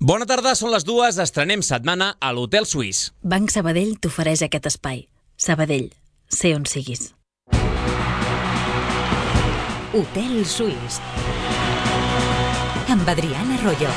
Bona tarda, són les 2, estrenem setmana a l'Hotel Suís. Banc Sabadell t'ofereix aquest espai. Sabadell, sé on siguis. Hotel Suís amb Adriana Arroyo.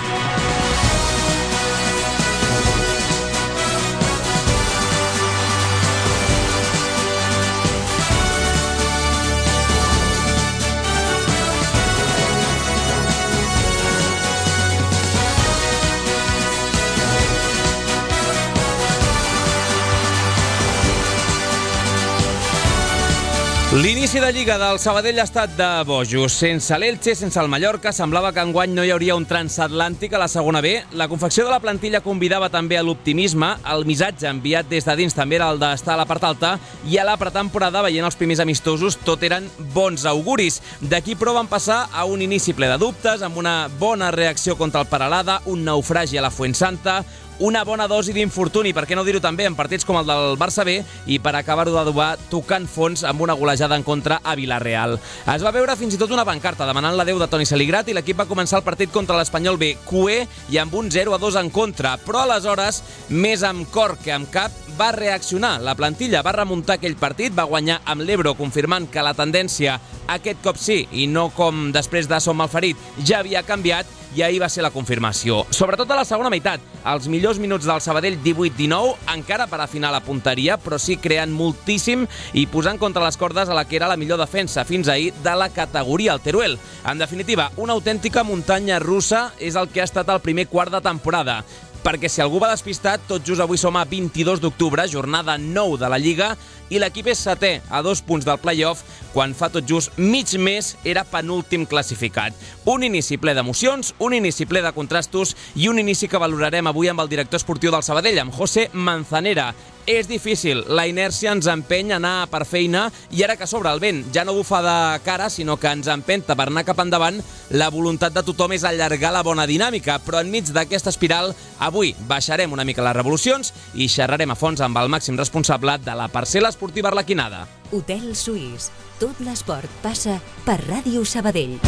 L'inici de Lliga del Sabadell ha estat de bojos. Sense l'Elche, sense el Mallorca, semblava que enguany no hi hauria un transatlàntic a la segona B. La confecció de la plantilla convidava també a l'optimisme. El missatge enviat des de dins també era el d'estar a la part alta, i a la pretemporada, veient els primers amistosos, tot eren bons auguris. D'aquí, però, van passar a un inici ple de dubtes, amb una bona reacció contra el Peralada, un naufragi a la Fuensanta, una bona dosi d'infortuni, per què no dir-ho també, en partits com el del Barça B, i per acabar-ho d'adobar tocant fons amb una golejada en contra a Vila-real. Es va veure fins i tot una pancarta demanant l'adeu de Toni Saligrat, i l'equip va començar el partit contra l'Espanyol B cué i amb un 0-2 en contra, però aleshores, més amb cor que amb cap, va reaccionar. La plantilla va remuntar aquell partit, va guanyar amb l'Ebro, confirmant que la tendència aquest cop sí, i no com després de Som Malferit, ja havia canviat, i ahir va ser la confirmació. Sobretot a la segona meitat, els millors minuts del Sabadell 18-19, encara per afinar la punteria, però sí creant moltíssim i posant contra les cordes a la que era la millor defensa fins ahir de la categoria, el Teruel. En definitiva, una autèntica muntanya russa és el que ha estat el primer quart de temporada. Perquè si algú va despistat, tot just avui som a 22 d'octubre, jornada 9 de la Lliga, i l'equip és setè, a 2 punts del play-off, quan fa tot just mig mes era penúltim classificat. Un inici ple d'emocions, un inici ple de contrastos i un inici que valorarem avui amb el director esportiu del Sabadell, amb José Manzanera. És difícil, la inèrcia ens empeny a anar per feina, i ara que s'obre el vent ja no bufa de cara, sinó que ens empenta per anar cap endavant, la voluntat de tothom és allargar la bona dinàmica, però enmig d'aquesta espiral, avui baixarem una mica les revolucions i xerrarem a fons amb el màxim responsable de la parcel·la esportiva arlequinada. Hotel Suís. Tot l'esport passa per Ràdio Sabadell.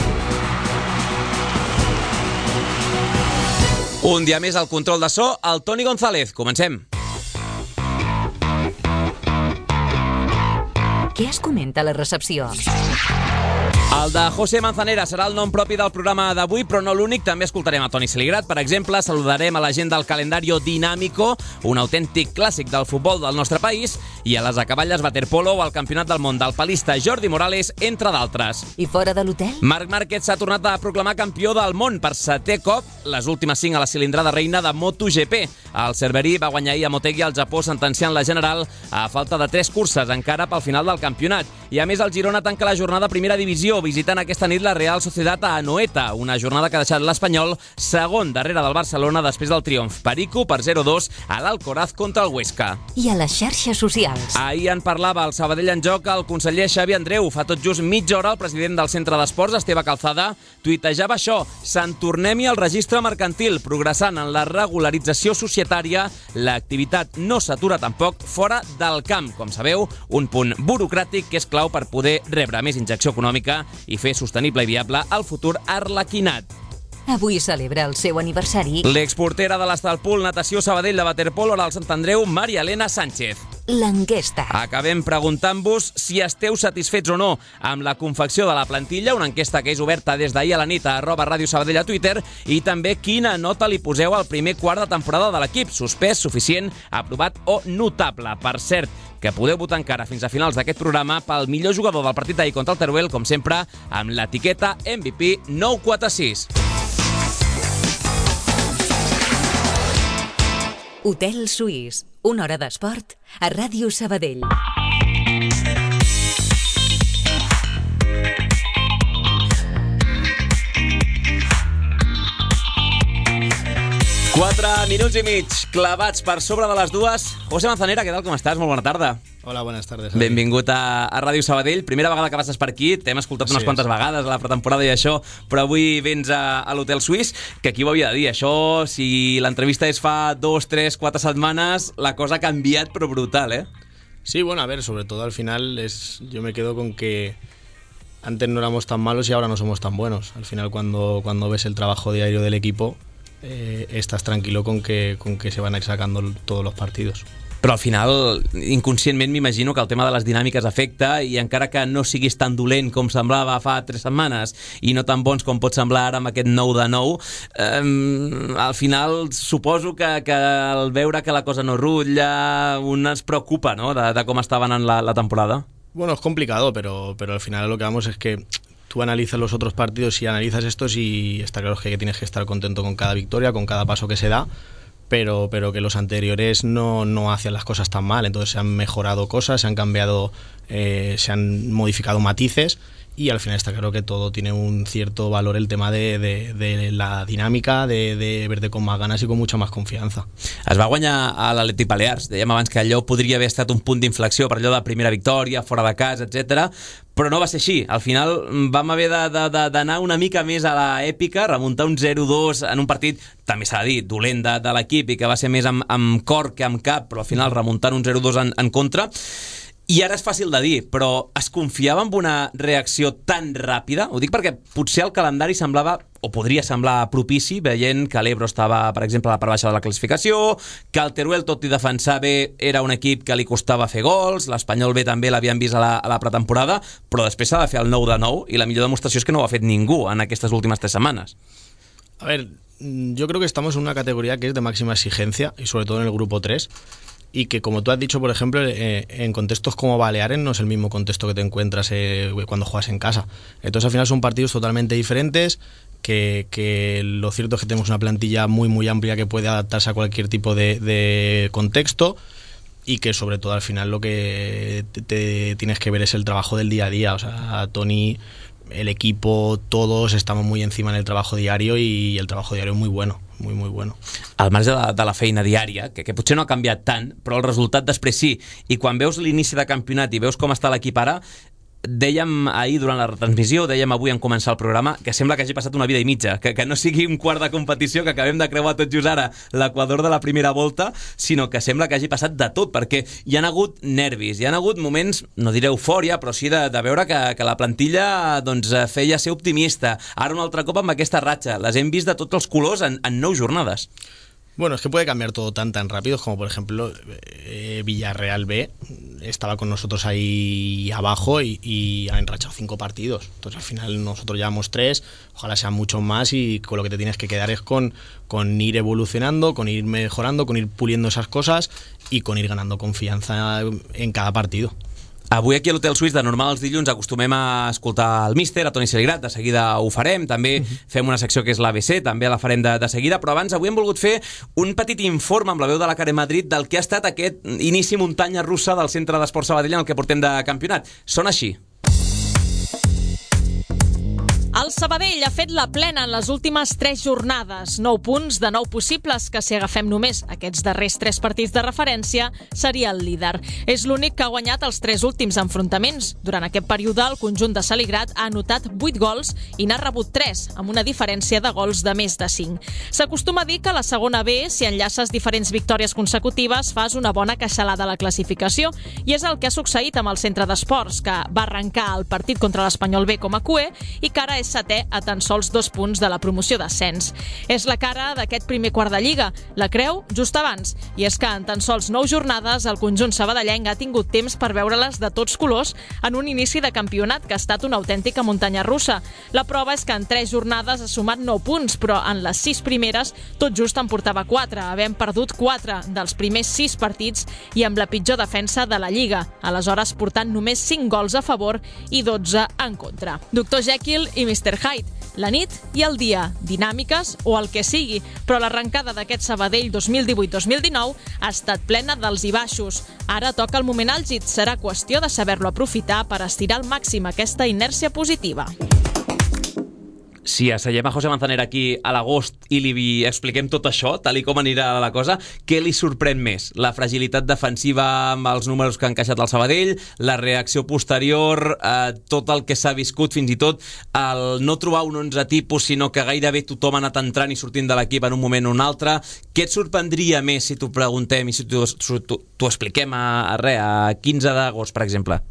Un dia més al control de so, el Toni González. Comencem. Què es comenta a la recepció? El de José Manzanera serà el nom propi del programa d'avui, però no l'únic. També escoltarem a Toni Saligrat, per exemple. Saludarem a la gent del Calendario Dinámico, un autèntic clàssic del futbol del nostre país, i a les acaballes waterpolo o al Campionat del Món del palista Jordi Morales, entre d'altres. I fora de l'hotel? Marc Márquez s'ha tornat a proclamar campió del món per 7è cop, les últimes 5 a la cilindrada reina de MotoGP. El cerverí va guanyar ahir a Motegi al Japó, sentenciant la general a falta de 3 curses encara pel final del campionat. I a més, el Girona tanca la jornada a primera divisió, visitant aquesta nit la Real Sociedad a Anoeta, una jornada que ha deixat l'Espanyol segon darrere del Barcelona després del triomf perico per 0-2 a l'Alcoraz contra el Huesca. I a les xarxes socials? Ahir en parlava el Sabadell en joc el conseller Xavi Andreu. Fa tot just mitja hora el president del Centre d'Esports, Esteve Calzada, tuitejava això: se'n tornem-hi al registre mercantil, progressant en la regularització societària. L'activitat no s'atura tampoc fora del camp. Com sabeu, un punt burocràtic que és clau per poder rebre més injecció econòmica i fer sostenible i viable el futur arlequinat. Avui celebra el seu aniversari l'exportera de l'Estalpool Natació Sabadell de waterpolo al Sant Andreu, Maria Elena Sánchez. L'enquesta. Acabem preguntant-vos si esteu satisfets o no amb la confecció de la plantilla, una enquesta que és oberta des d'ahir a la nit a @Ràdio Sabadell a Twitter, i també quina nota li poseu al primer quart de temporada de l'equip, suspès, suficient, aprovat o notable. Per cert, que podeu votar encara fins a finals d'aquest programa pel millor jugador del partit d'ahir contra el Teruel, com sempre, amb l'etiqueta MVP 946. Hotel Suís. Una hora d'esport a Ràdio Sabadell. Quatre minuts i mig clavats per sobre de les 2. José Manzanera, què tal, com estàs? Molt bona tarda. Hola, buenas tardes. Benvingut a Ràdio Sabadell. Primera vegada que passes per aquí, t'hem escoltat unes quantes vegades a la pretemporada i això, però avui vens a l'Hotel Suís, que aquí ho havia de dir. Això, si l'entrevista és fa 2, 3, 4 setmanes, la cosa ha canviat, però brutal, ¿eh? Sí, bueno, a ver, sobre todo al final yo me quedo con que antes no éramos tan malos y ahora no somos tan buenos. Al final, cuando ves el trabajo diario del equipo, estás tranquilo con que se van a ir sacando todos los partidos. Però al final, inconscientment, m'imagino que el tema de les dinàmiques afecta, i encara que no siguis tan dolent com semblava fa 3 setmanes i no tan bons com pot semblar ara amb aquest 9-9, al final suposo que al veure que la cosa no rutlla, un es preocupa, ¿no?, de com estaven en la temporada. Bueno, es complicado, pero al final lo que vamos es que tú analizas los otros partidos y analizas estos y está claro que tienes que estar contento con cada victoria, con cada paso que se da, pero que los anteriores no hacían las cosas tan mal. Entonces se han mejorado cosas, se han cambiado, se han modificado matices, y al final está claro que todo tiene un cierto valor, el tema de la dinàmica, de verte con más ganas y con mucha más confianza. Es va guanyar a l'Atlètic Balears. Dèiem abans que allò podria haver estat un punt d'inflexió per allò de primera victòria, fora de casa, etc. Però no va ser així. Al final vam haver d'anar una mica més a l'èpica, remuntar un 0-2 en un partit, també s'ha de dir, dolent de l'equip i que va ser més amb cor que amb cap, però al final remuntant un 0-2 en contra. I ara és fàcil de dir, però es confiava en una reacció tan ràpida? Ho dic perquè potser el calendari semblava, o podria semblar propici, veient que l'Ebro estava, per exemple, a la part baixa de la classificació, que el Teruel, tot i defensar bé, era un equip que li costava fer gols, l'Espanyol B també l'havien vist a la pretemporada, però després s'ha de fer el 9-9, i la millor demostració és que no ho ha fet ningú en aquestes últimes 3 setmanes. A ver, yo creo que estamos en una categoría que es de máxima exigencia, y sobre todo en el grupo 3, y que, como tú has dicho, por ejemplo, en contextos como Baleares no es el mismo contexto que te encuentras cuando juegas en casa. Entonces al final son partidos totalmente diferentes, que lo cierto es que tenemos una plantilla muy muy amplia que puede adaptarse a cualquier tipo de contexto, y que sobre todo al final lo que te tienes que ver es el trabajo del día a día. O sea, Toni, el equipo, todos estamos muy encima en el trabajo diario, y el trabajo diario es muy bueno. Muy, muy bueno. Al marge de la feina diària, que potser no ha canviat tant, però el resultat després sí, i quan veus l'inici de campionat i veus com està l'equip ara, dèiem ahir durant la retransmissió, dèiem avui en començar el programa, que sembla que hagi passat una vida i mitja, que no sigui un quart de competició, que acabem de creuar tot just ara l'equador de la primera volta, sinó que sembla que hagi passat de tot, perquè hi han hagut nervis, hi han hagut moments, no diré eufòria, però sí de veure que la plantilla doncs, feia ser optimista. Ara un altre cop amb aquesta ratxa, les hem vist de tots els colors en 9 jornades. Bueno, es que puede cambiar todo tan rápido, como por ejemplo Villarreal B estaba con nosotros ahí abajo y ha enrachado 5 partidos. Entonces al final nosotros llevamos 3, ojalá sean muchos más, y con lo que te tienes que quedar es con ir evolucionando, con ir mejorando, con ir puliendo esas cosas y con ir ganando confianza en cada partido. Avui aquí a l'Hotel Suís, de normal els dilluns, acostumem a escoltar el míster, a Toni Celigrat, de seguida ho farem, també fem una secció que és l'ABC, també la farem de seguida, però abans avui hem volgut fer un petit informe amb la veu de la Karen Madrid del que ha estat aquest inici muntanya russa del Centre d'Esport Sabadell en el que portem de campionat. Sona així. El Sabadell ha fet la plena en les últimes 3 jornades. 9 punts de 9 possibles, que si agafem només aquests darrers 3 partits de referència, seria el líder. És l'únic que ha guanyat els 3 últims enfrontaments. Durant aquest període, el conjunt de Celigrat ha anotat 8 gols i n'ha rebut 3, amb una diferència de gols de més de 5. S'acostuma a dir que a la segona B, si enllaces diferents victòries consecutives, fas una bona queixalada a la classificació, i és el que ha succeït amb el Centre d'Esports, que va arrencar el partit contra l'Espanyol B com a cuer i que ara és setè a tan sols 2 punts de la promoció d'ascens. És la cara d'aquest primer quart de Lliga, la creu just abans, i és que en tan sols 9 jornades el conjunt sabadellenc ha tingut temps per veure-les de tots colors en un inici de campionat que ha estat una autèntica muntanya russa. La prova és que en 3 jornades ha sumat 9 punts, però en les 6 primeres tot just en portava 4, havent perdut 4 dels primers 6 partits i amb la pitjor defensa de la Lliga, aleshores portant només 5 gols a favor i 12 en contra. Dr. Jekyll i Mr. Hyde, la nit i el dia, dinàmiques o el que sigui, però l'arrencada d'aquest Sabadell 2018-2019 ha estat plena d'alts i baixos. Ara toca el moment àlgid, serà qüestió de saber-lo aprofitar per estirar al màxim aquesta inèrcia positiva. Si asseiem a José Manzanera aquí a l'agost i li expliquem tot això, tal i com anirà la cosa, què li sorprèn més? La fragilitat defensiva amb els números que ha encaixat el Sabadell, la reacció posterior, tot el que s'ha viscut, fins i tot el no trobar un 11 tipus, sinó que gairebé tothom ha anat entrant i sortint de l'equip en un moment o un altre. Què et sorprendria més si t'ho preguntem i si t'ho expliquem a 15 d'agost, per exemple?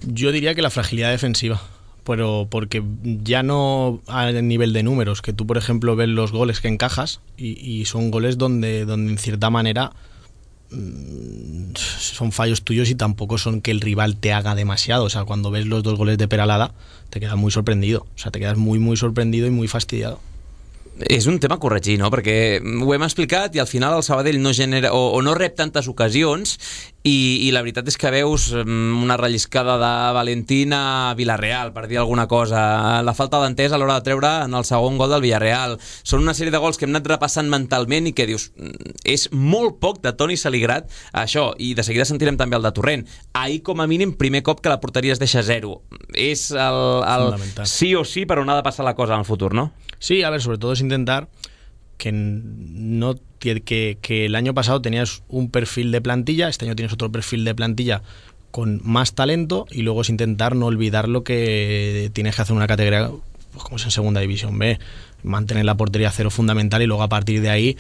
Yo diría que la fragilidad defensiva, pero porque ya no a nivel de números, que tú por ejemplo ves los goles que encajas y son goles donde en cierta manera son fallos tuyos y tampoco son que el rival te haga demasiado. O sea, cuando ves los 2 goles de Peralada te quedas muy sorprendido, o sea, te quedas muy sorprendido y muy fastidiado. És un tema a corregir, no? Perquè ho hem explicat i al final el Sabadell no genera o no rep tantes ocasions i la veritat és que veus una relliscada de Valentín a Villarreal, per dir alguna cosa, la falta d'entesa a l'hora de treure en el segon gol del Villarreal. Són una sèrie de gols que hem anat repassant mentalment i que dius, és molt poc de Toni Saligrat això, i de seguida sentirem també el de Torrent. Ahir, com a mínim, primer cop que la porteria es deixa 0. És el sí o sí per on ha de passar la cosa en el futur, no? Sí, a ver, sobre todo es intentar que el año pasado tenías un perfil de plantilla, este año tienes otro perfil de plantilla con más talento y luego es intentar no olvidar lo que tienes que hacer una categoría, pues como es en Segunda División B, mantener la portería 0 fundamental y luego a partir de ahí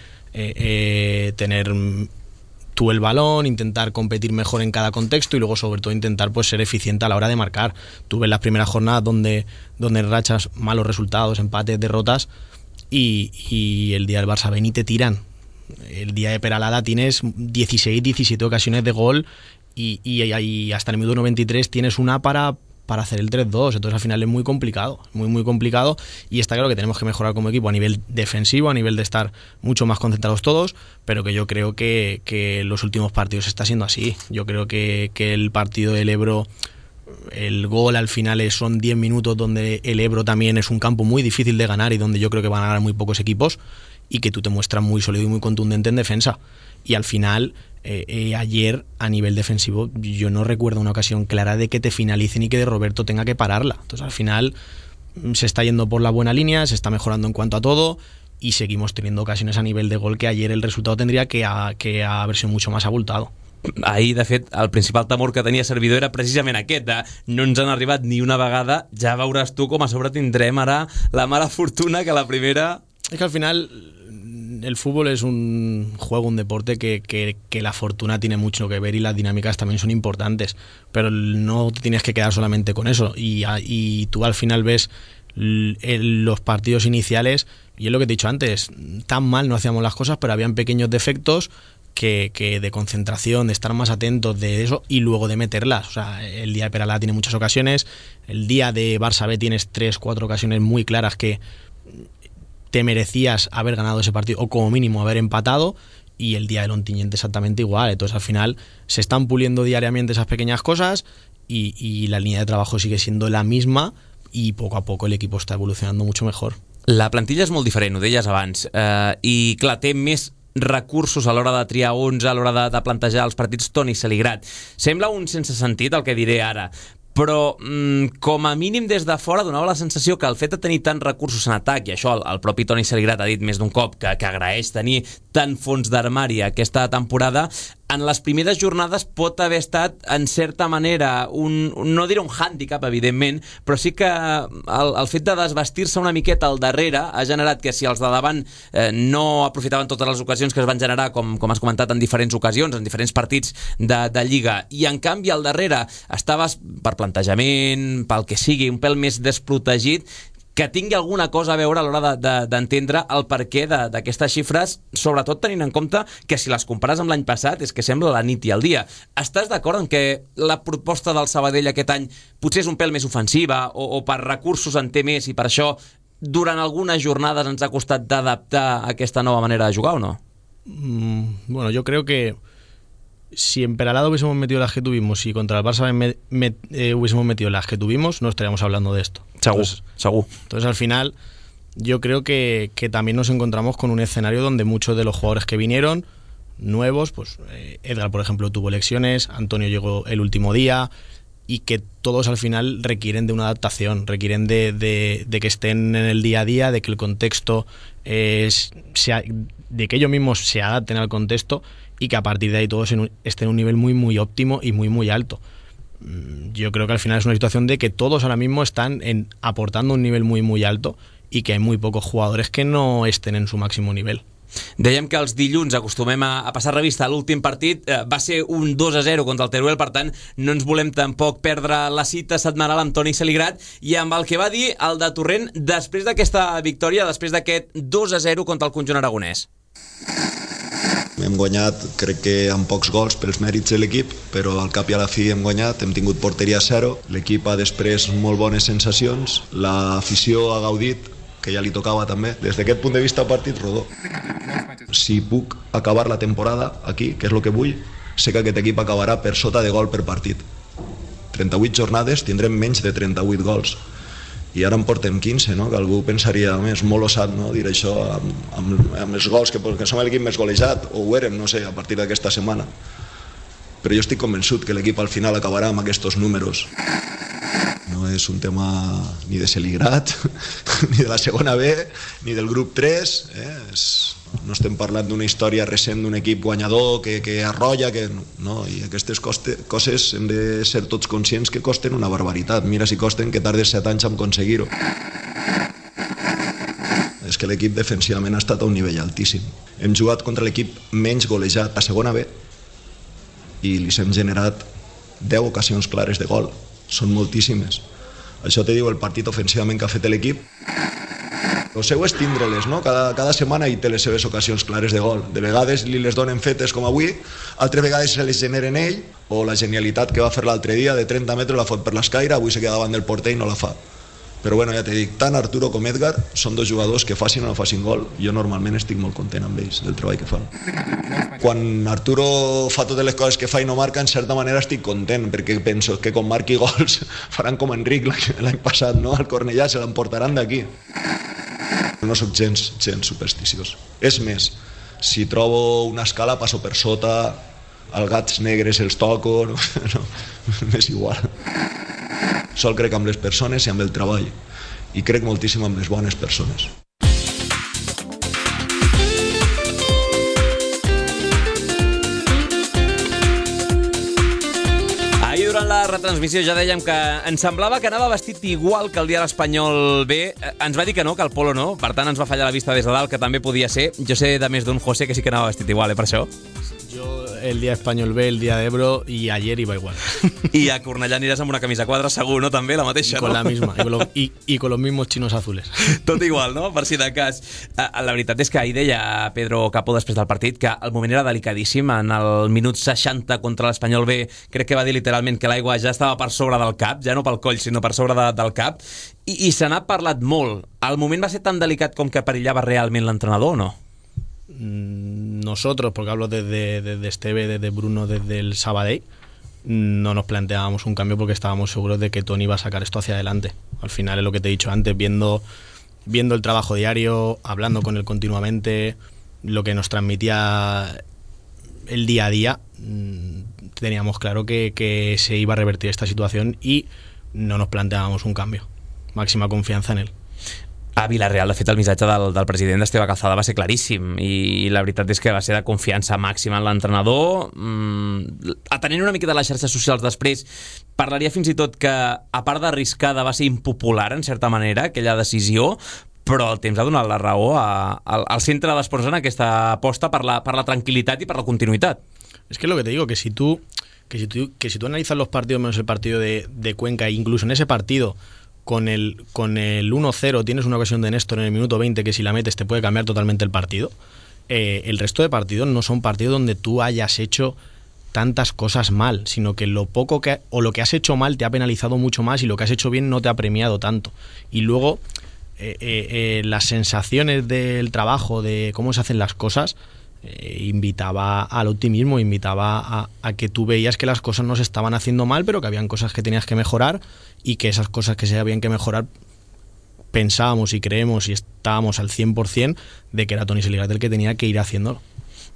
tener tú el balón, intentar competir mejor en cada contexto y luego sobre todo intentar pues ser eficiente a la hora de marcar. Tú ves las primeras jornadas donde rachas malos resultados, empates, derrotas y el día del Barça ven y te tiran. El día de Peralada tienes 16, 17 ocasiones de gol y hasta el minuto 93 tienes una para hacer el 3-2, entonces al final es muy complicado, muy complicado y está claro que tenemos que mejorar como equipo a nivel defensivo, a nivel de estar mucho más concentrados todos, pero que yo creo que los últimos partidos está siendo así. Yo creo que el partido del Ebro, el gol al final son 10 minutos donde el Ebro también es un campo muy difícil de ganar y donde yo creo que van a ganar muy pocos equipos y que tú te muestras muy sólido y muy contundente en defensa y al final ayer a nivel defensivo yo no recuerdo una ocasión clara de que te finalicen y que de Roberto tenga que pararla. Entonces al final se está yendo por la buena línea, se está mejorando en cuanto a todo y seguimos teniendo ocasiones a nivel de gol que ayer el resultado tendría que haber sido mucho más abultado. Ahir, de fet, el principal temor que tenia Servidor era precisament aquest, de no ens han arribat ni una vegada, ja veuràs tu com a sobre tindrem ara la mala fortuna que la primera... Es que al final el fútbol es un juego, un deporte que la fortuna tiene mucho que ver y las dinámicas también son importantes, pero no te tienes que quedar solamente con eso y tú al final ves los partidos iniciales y es lo que te he dicho antes, tan mal no hacíamos las cosas, pero habían pequeños defectos que de concentración, de estar más atentos de eso y luego de meterlas. O sea, el día de Peralada tiene muchas ocasiones, el día de Barça B tienes 3-4 ocasiones muy claras que te merecías haber ganado ese partido o como mínimo haber empatado y el día del Ontinyent exactamente igual. Entonces al final se están puliendo diariamente esas pequeñas cosas y la línea de trabajo sigue siendo la misma y poco a poco el equipo está evolucionando mucho mejor. La plantilla és molt diferent, ho deies abans, i clar, té més recursos a l'hora de triar 11, a l'hora de plantejar els partits. Toni Saligrat, sembla un sense sentit el que diré ara, però com a mínim des de fora donava la sensació que el fet de tenir tants recursos en atac, i això el propi Toni Saligrat ha dit més d'un cop que agraeix tenir tant fons d'armari aquesta temporada, en les primeres jornades pot haver estat en certa manera no diré un hàndicap evidentment, però sí que el fet de desvestir-se una miqueta al darrere ha generat que si els de davant no aprofitaven totes les ocasions que es van generar, com has comentat en diferents ocasions, en diferents partits de Lliga, i en canvi al darrere estaves per plantejament, pel que sigui, un pèl més desprotegit, que tingui alguna cosa a veure a l'hora d'entendre el perquè d'aquestes xifres, sobretot tenint en compte que si les compares amb l'any passat és que sembla la nit i el dia. Estàs d'acord en que la proposta del Sabadell aquest any potser és un pèl més ofensiva o per recursos en té més i per això durant algunes jornades ens ha costat d'adaptar aquesta nova manera de jugar o no? Bueno, yo creo que si en Peralada hubiésemos metido las que tuvimos y contra el Barça hubiésemos metido las que tuvimos, no estaríamos hablando de esto. Segur. Entonces al final yo creo que también nos encontramos con un escenario donde muchos de los jugadores que vinieron nuevos, pues Edgar por ejemplo tuvo lesiones, Antonio llegó el último día y que todos al final requieren de una adaptación, requieren de que estén en el día a día, de que el contexto de que ellos mismos se adapten al contexto y que a partir de ahí todos estén en un nivel muy óptimo y muy alto. Yo creo que al final es una situación de que todos ahora mismo están aportando un nivel muy alto y que hay muy pocos jugadores que no estén en su máximo nivel. Dèiem que els dilluns acostumem a passar revista a l'últim partit, va ser un 2-0 contra el Teruel, per tant no ens volem tampoc perdre la cita setmanal amb Toni Saligrat i amb el que va dir el de Torrent després d'aquesta victòria, després d'aquest 2-0 contra el conjunt aragonès. Hem guanyat, crec que amb pocs gols pels mèrits de l'equip, però al cap i a la fi hem guanyat, hem tingut porteria 0, l'equip ha després molt bones sensacions, l'afició ha gaudit, que ja li tocava també. Des d'aquest punt de vista, partit rodó. Si puc acabar la temporada aquí, que és el que vull, sé que aquest equip acabarà per sota de gol per partit. 38 jornades tindrem menys de 38 gols. I ara en portem 15, no? Que algú pensaria, és molt osat, no? Dir això amb els gols, que som l'equip més golejat, o ho érem, no sé, a partir d'aquesta setmana. Però jo estic convençut que l'equip al final acabarà amb aquests números. No és un tema ni de Saligrat, ni de la segona B, ni del grup 3, no estem parlant d'una història recent d'un equip guanyador que arrolla, no, i aquestes coses hem de ser tots conscients que costen una barbaritat. Mira si costen que tardes 7 anys en aconseguir-ho. És que l'equip defensivament ha estat a un nivell altíssim. Hem jugat contra l'equip menys golejat a segona B i li hem generat 10 ocasions clares de gol. Són moltíssimes. Això te diu el partit ofensivament que ha fet l'equip. El seu és tindre-les, no? Cada setmana hi té les seves ocasions clares de gol. De vegades li les donen fetes com avui, altres vegades se les generen ell, o la genialitat que va fer l'altre dia de 30 metres la fot per l'escaire, avui se queda davant del porter i no la fa. Però bueno, ja t'he dit, tant Arturo com Edgar són dos jugadors que facin o no facin gol. Jo normalment estic molt content amb ells, del treball que fan. Quan Arturo fa totes les coses que fa i no marca, en certa manera estic content, perquè penso que quan marqui gols faran com Enric l'any passat, no? Al Cornellà se l'emportaran d'aquí. No soc gens supersticiós. És més, si trobo una escala passo per sota, els gats negres els toco, no, m'és igual. Sol crec amb les persones i amb el treball, i crec moltíssim amb les bones persones. Ahir durant la retransmissió ja dèiem que ens semblava que anava vestit igual que el dia de l'Espanyol B. Ens va dir que no, que el polo no, per tant ens va fallar la vista des de dalt, que també podia ser. Jo sé de més d'un José que sí que anava vestit igual, per això. Yo el día Español B, el día de Ebro y ayer iba igual. I a Cornellà aniràs amb una camisa quadra segur, no? També la mateixa, con no? la misma, y con los mismos chinos azules. Tot igual, no? Per si de cas. La veritat és que ahir deia Pedro Capó després del partit que el moment era delicadíssim. En el minut 60 contra l'Espanyol B crec que va dir literalment que l'aigua ja estava per sobre del cap, ja no pel coll, sinó per sobre del cap. I se n'ha parlat molt. El moment va ser tan delicat com que perillava realment l'entrenador o no? Nosotros, porque hablo desde Esteve, desde Bruno, desde el Sabadell, no nos planteábamos un cambio porque estábamos seguros de que Toni iba a sacar esto hacia adelante. Al final es lo que te he dicho antes, viendo el trabajo diario, hablando con él continuamente, lo que nos transmitía el día a día, teníamos claro que se iba a revertir esta situación y no nos planteábamos un cambio. Máxima confianza en él. A Vilareal, de fet, el missatge del president Esteve Calzada va ser claríssim i la veritat és que va ser de confiança màxima en l'entrenador. Atenent una mica de les xarxes socials després, parlaria fins i tot que, a part d'arriscada, va ser impopular, en certa manera, aquella decisió, però el temps ha donat la raó al centre d'esports en aquesta aposta per la tranquil·litat i per la continuïtat. Es que es lo que te digo, que si tú analizas los partidos menos el partido de Cuenca, incluso en ese partido con el 1-0 tienes una ocasión de Néstor en el minuto 20 que si la metes te puede cambiar totalmente el partido. El resto de partidos no son partidos donde tú hayas hecho tantas cosas mal, sino que lo que has hecho mal te ha penalizado mucho más y lo que has hecho bien no te ha premiado tanto. Y luego las sensaciones del trabajo, de cómo se hacen las cosas, invitaba al optimismo, invitaba a que tú veías que las cosas no se estaban haciendo mal, pero que habían cosas que tenías que mejorar y que esas cosas que se habían que mejorar pensábamos y creemos y estábamos al 100% de que era Toni Saligrat el que tenia que ir haciéndolo.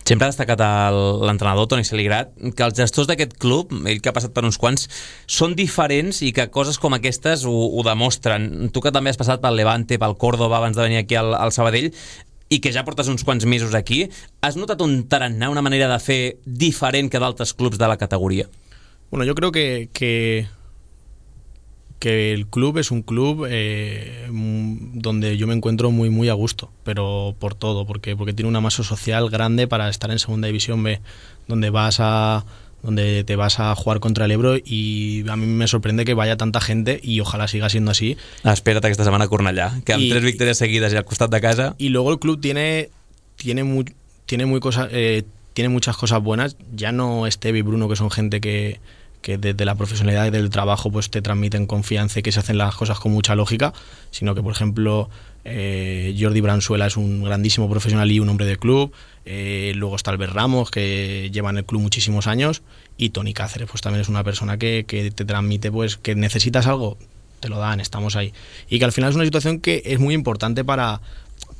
Sempre ha destacat l'entrenador Toni Saligrat que els gestors d'aquest club, ell que ha passat per uns quants, són diferents i que coses com aquestes ho demostren. Tu que també has passat pel Levante, pel Córdoba abans de venir aquí al Sabadell i que ja portes uns quants mesos aquí, has notat un tarannà, una manera de fer diferent que d'altres clubs de la categoria? Bueno, yo creo que que el club es un club donde yo me encuentro muy muy a gusto, pero por todo, porque tiene una masa social grande para estar en Segunda División B, donde te vas a jugar contra el Ebro, y a mí me sorprende que vaya tanta gente y ojalá siga siendo así. Espera't aquesta setmana a Cornellà, que amb 3 victòries seguides i al costat de casa. Y luego el club tiene muchas cosas buenas. Ya no Esteve y Bruno, que son gente que desde la profesionalidad y del trabajo pues te transmiten confianza y que se hacen las cosas con mucha lógica, sino que, por ejemplo, Jordi Bransuela es un grandísimo profesional y un hombre de club. Luego está Albert Ramos, que lleva en el club muchísimos años, y Toni Cáceres pues también es una persona que te transmite pues que necesitas algo, te lo dan, estamos ahí, y que al final es una situación que es muy importante para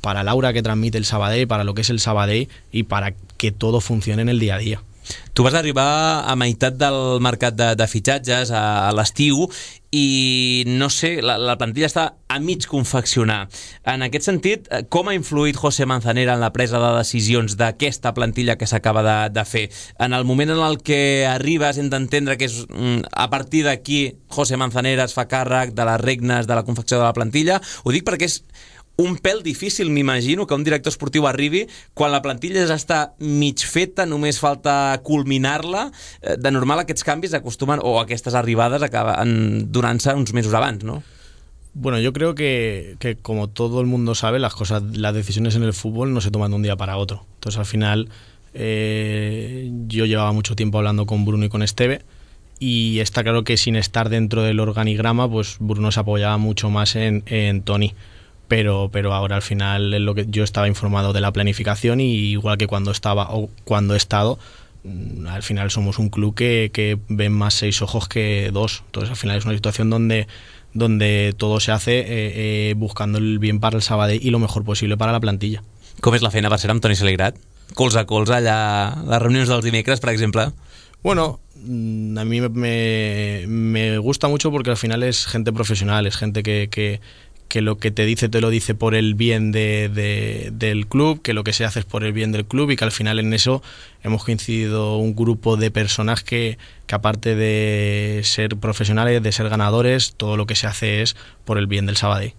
el aura que transmite el Sabadell, para lo que es el Sabadell y para que todo funcione en el día a día. Tu vas arribar a meitat del mercat de fitxatges a l'estiu i no sé, la plantilla està a mig confeccionar. En aquest sentit, com ha influït José Manzanera en la presa de decisions d'aquesta plantilla que s'acaba de fer? En el moment en el que arribes hem d'entendre que és a partir d'aquí José Manzanera es fa càrrec de les regnes de la confecció de la plantilla. Ho dic perquè és un pèl difícil, m'imagino, que un director esportiu arribi quan la plantilla ja està mig feta, només falta culminar-la. De normal aquests canvis acostumen, o aquestes arribades acaben donant-se uns mesos abans, ¿no? Bueno, yo creo que como todo el mundo sabe, las decisiones en el fútbol no se toman de un día para otro. Entonces, al final, yo llevaba mucho tiempo hablando con Bruno y con Esteve, y está claro que sin estar dentro del organigrama, pues Bruno se apoyaba mucho más en Toni. Pero ahora al final es lo que yo estaba informado de la planificación, y igual que cuando estaba o cuando he estado, al final somos un club que ven más 6 ojos que 2. Entonces al final es una situación donde todo se hace buscando el bien para el Sabadell y lo mejor posible para la plantilla. Com és la feina per ser amb Toni Saligrat? Colze a colze allà, les reunions dels dimecres, per exemple? Bueno, a mí me gusta mucho porque al final es gente profesional, es gente que lo que te lo dice por el bien del club, que lo que se hace es por el bien del club, y que al final en eso hemos coincidido un grupo de personas que aparte de ser profesionales, de ser ganadores, todo lo que se hace es por el bien del Sabadell.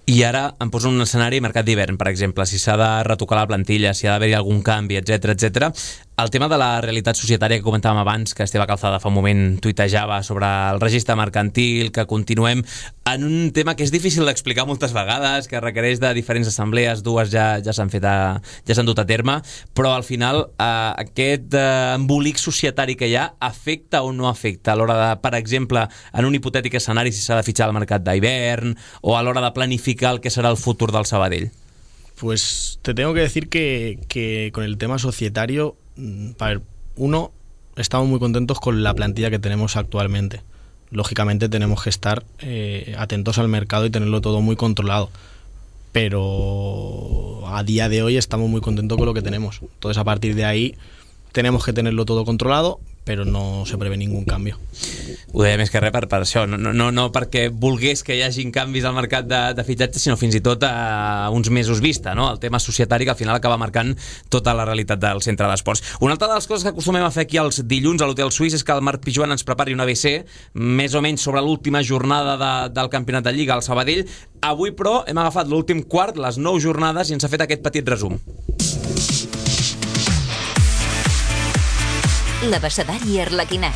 I ara em poso un escenari mercat d'hivern, per exemple, si s'ha de retocar la plantilla, si ha d'haver-hi algun canvi, etc. El tema de la realitat societària que comentàvem abans, que Esteve Calzada fa un moment tuitejava sobre el registre mercantil, que continuem en un tema que és difícil d'explicar moltes vegades, que requereix de diferents assemblees, 2 ja s'han dut a terme, però al final aquest embolic societari que hi ha afecta o no afecta a l'hora de, per exemple, en un hipotètic escenari, si s'ha de fitxar al mercat d'hivern, o a l'hora de planificar el que serà el futur del Sabadell? Pues te tengo que decir que con el tema societario, uno, estamos muy contentos con la plantilla que tenemos actualmente. Lógicamente tenemos que estar atentos al mercado y tenerlo todo muy controlado, pero a día de hoy estamos muy contentos con lo que tenemos. Entonces, a partir de ahí tenemos que tenerlo todo controlado, però no se prevé ningú canvi. Ho deia més que res per això, no perquè volgués que hi hagin canvis al mercat de fitxatges, sinó fins i tot a uns mesos vista, no? El tema societari que al final acaba marcant tota la realitat del centre d'esports. Una altra de les coses que acostumem a fer aquí els dilluns a l'Hotel Suís és que el Marc Pijuan ens prepari un ABC més o menys sobre l'última jornada del campionat de Lliga al Sabadell. Avui, però, hem agafat l'últim quart, les 9 jornades, i ens ha fet aquest petit resum. L'abecedari arlequinat.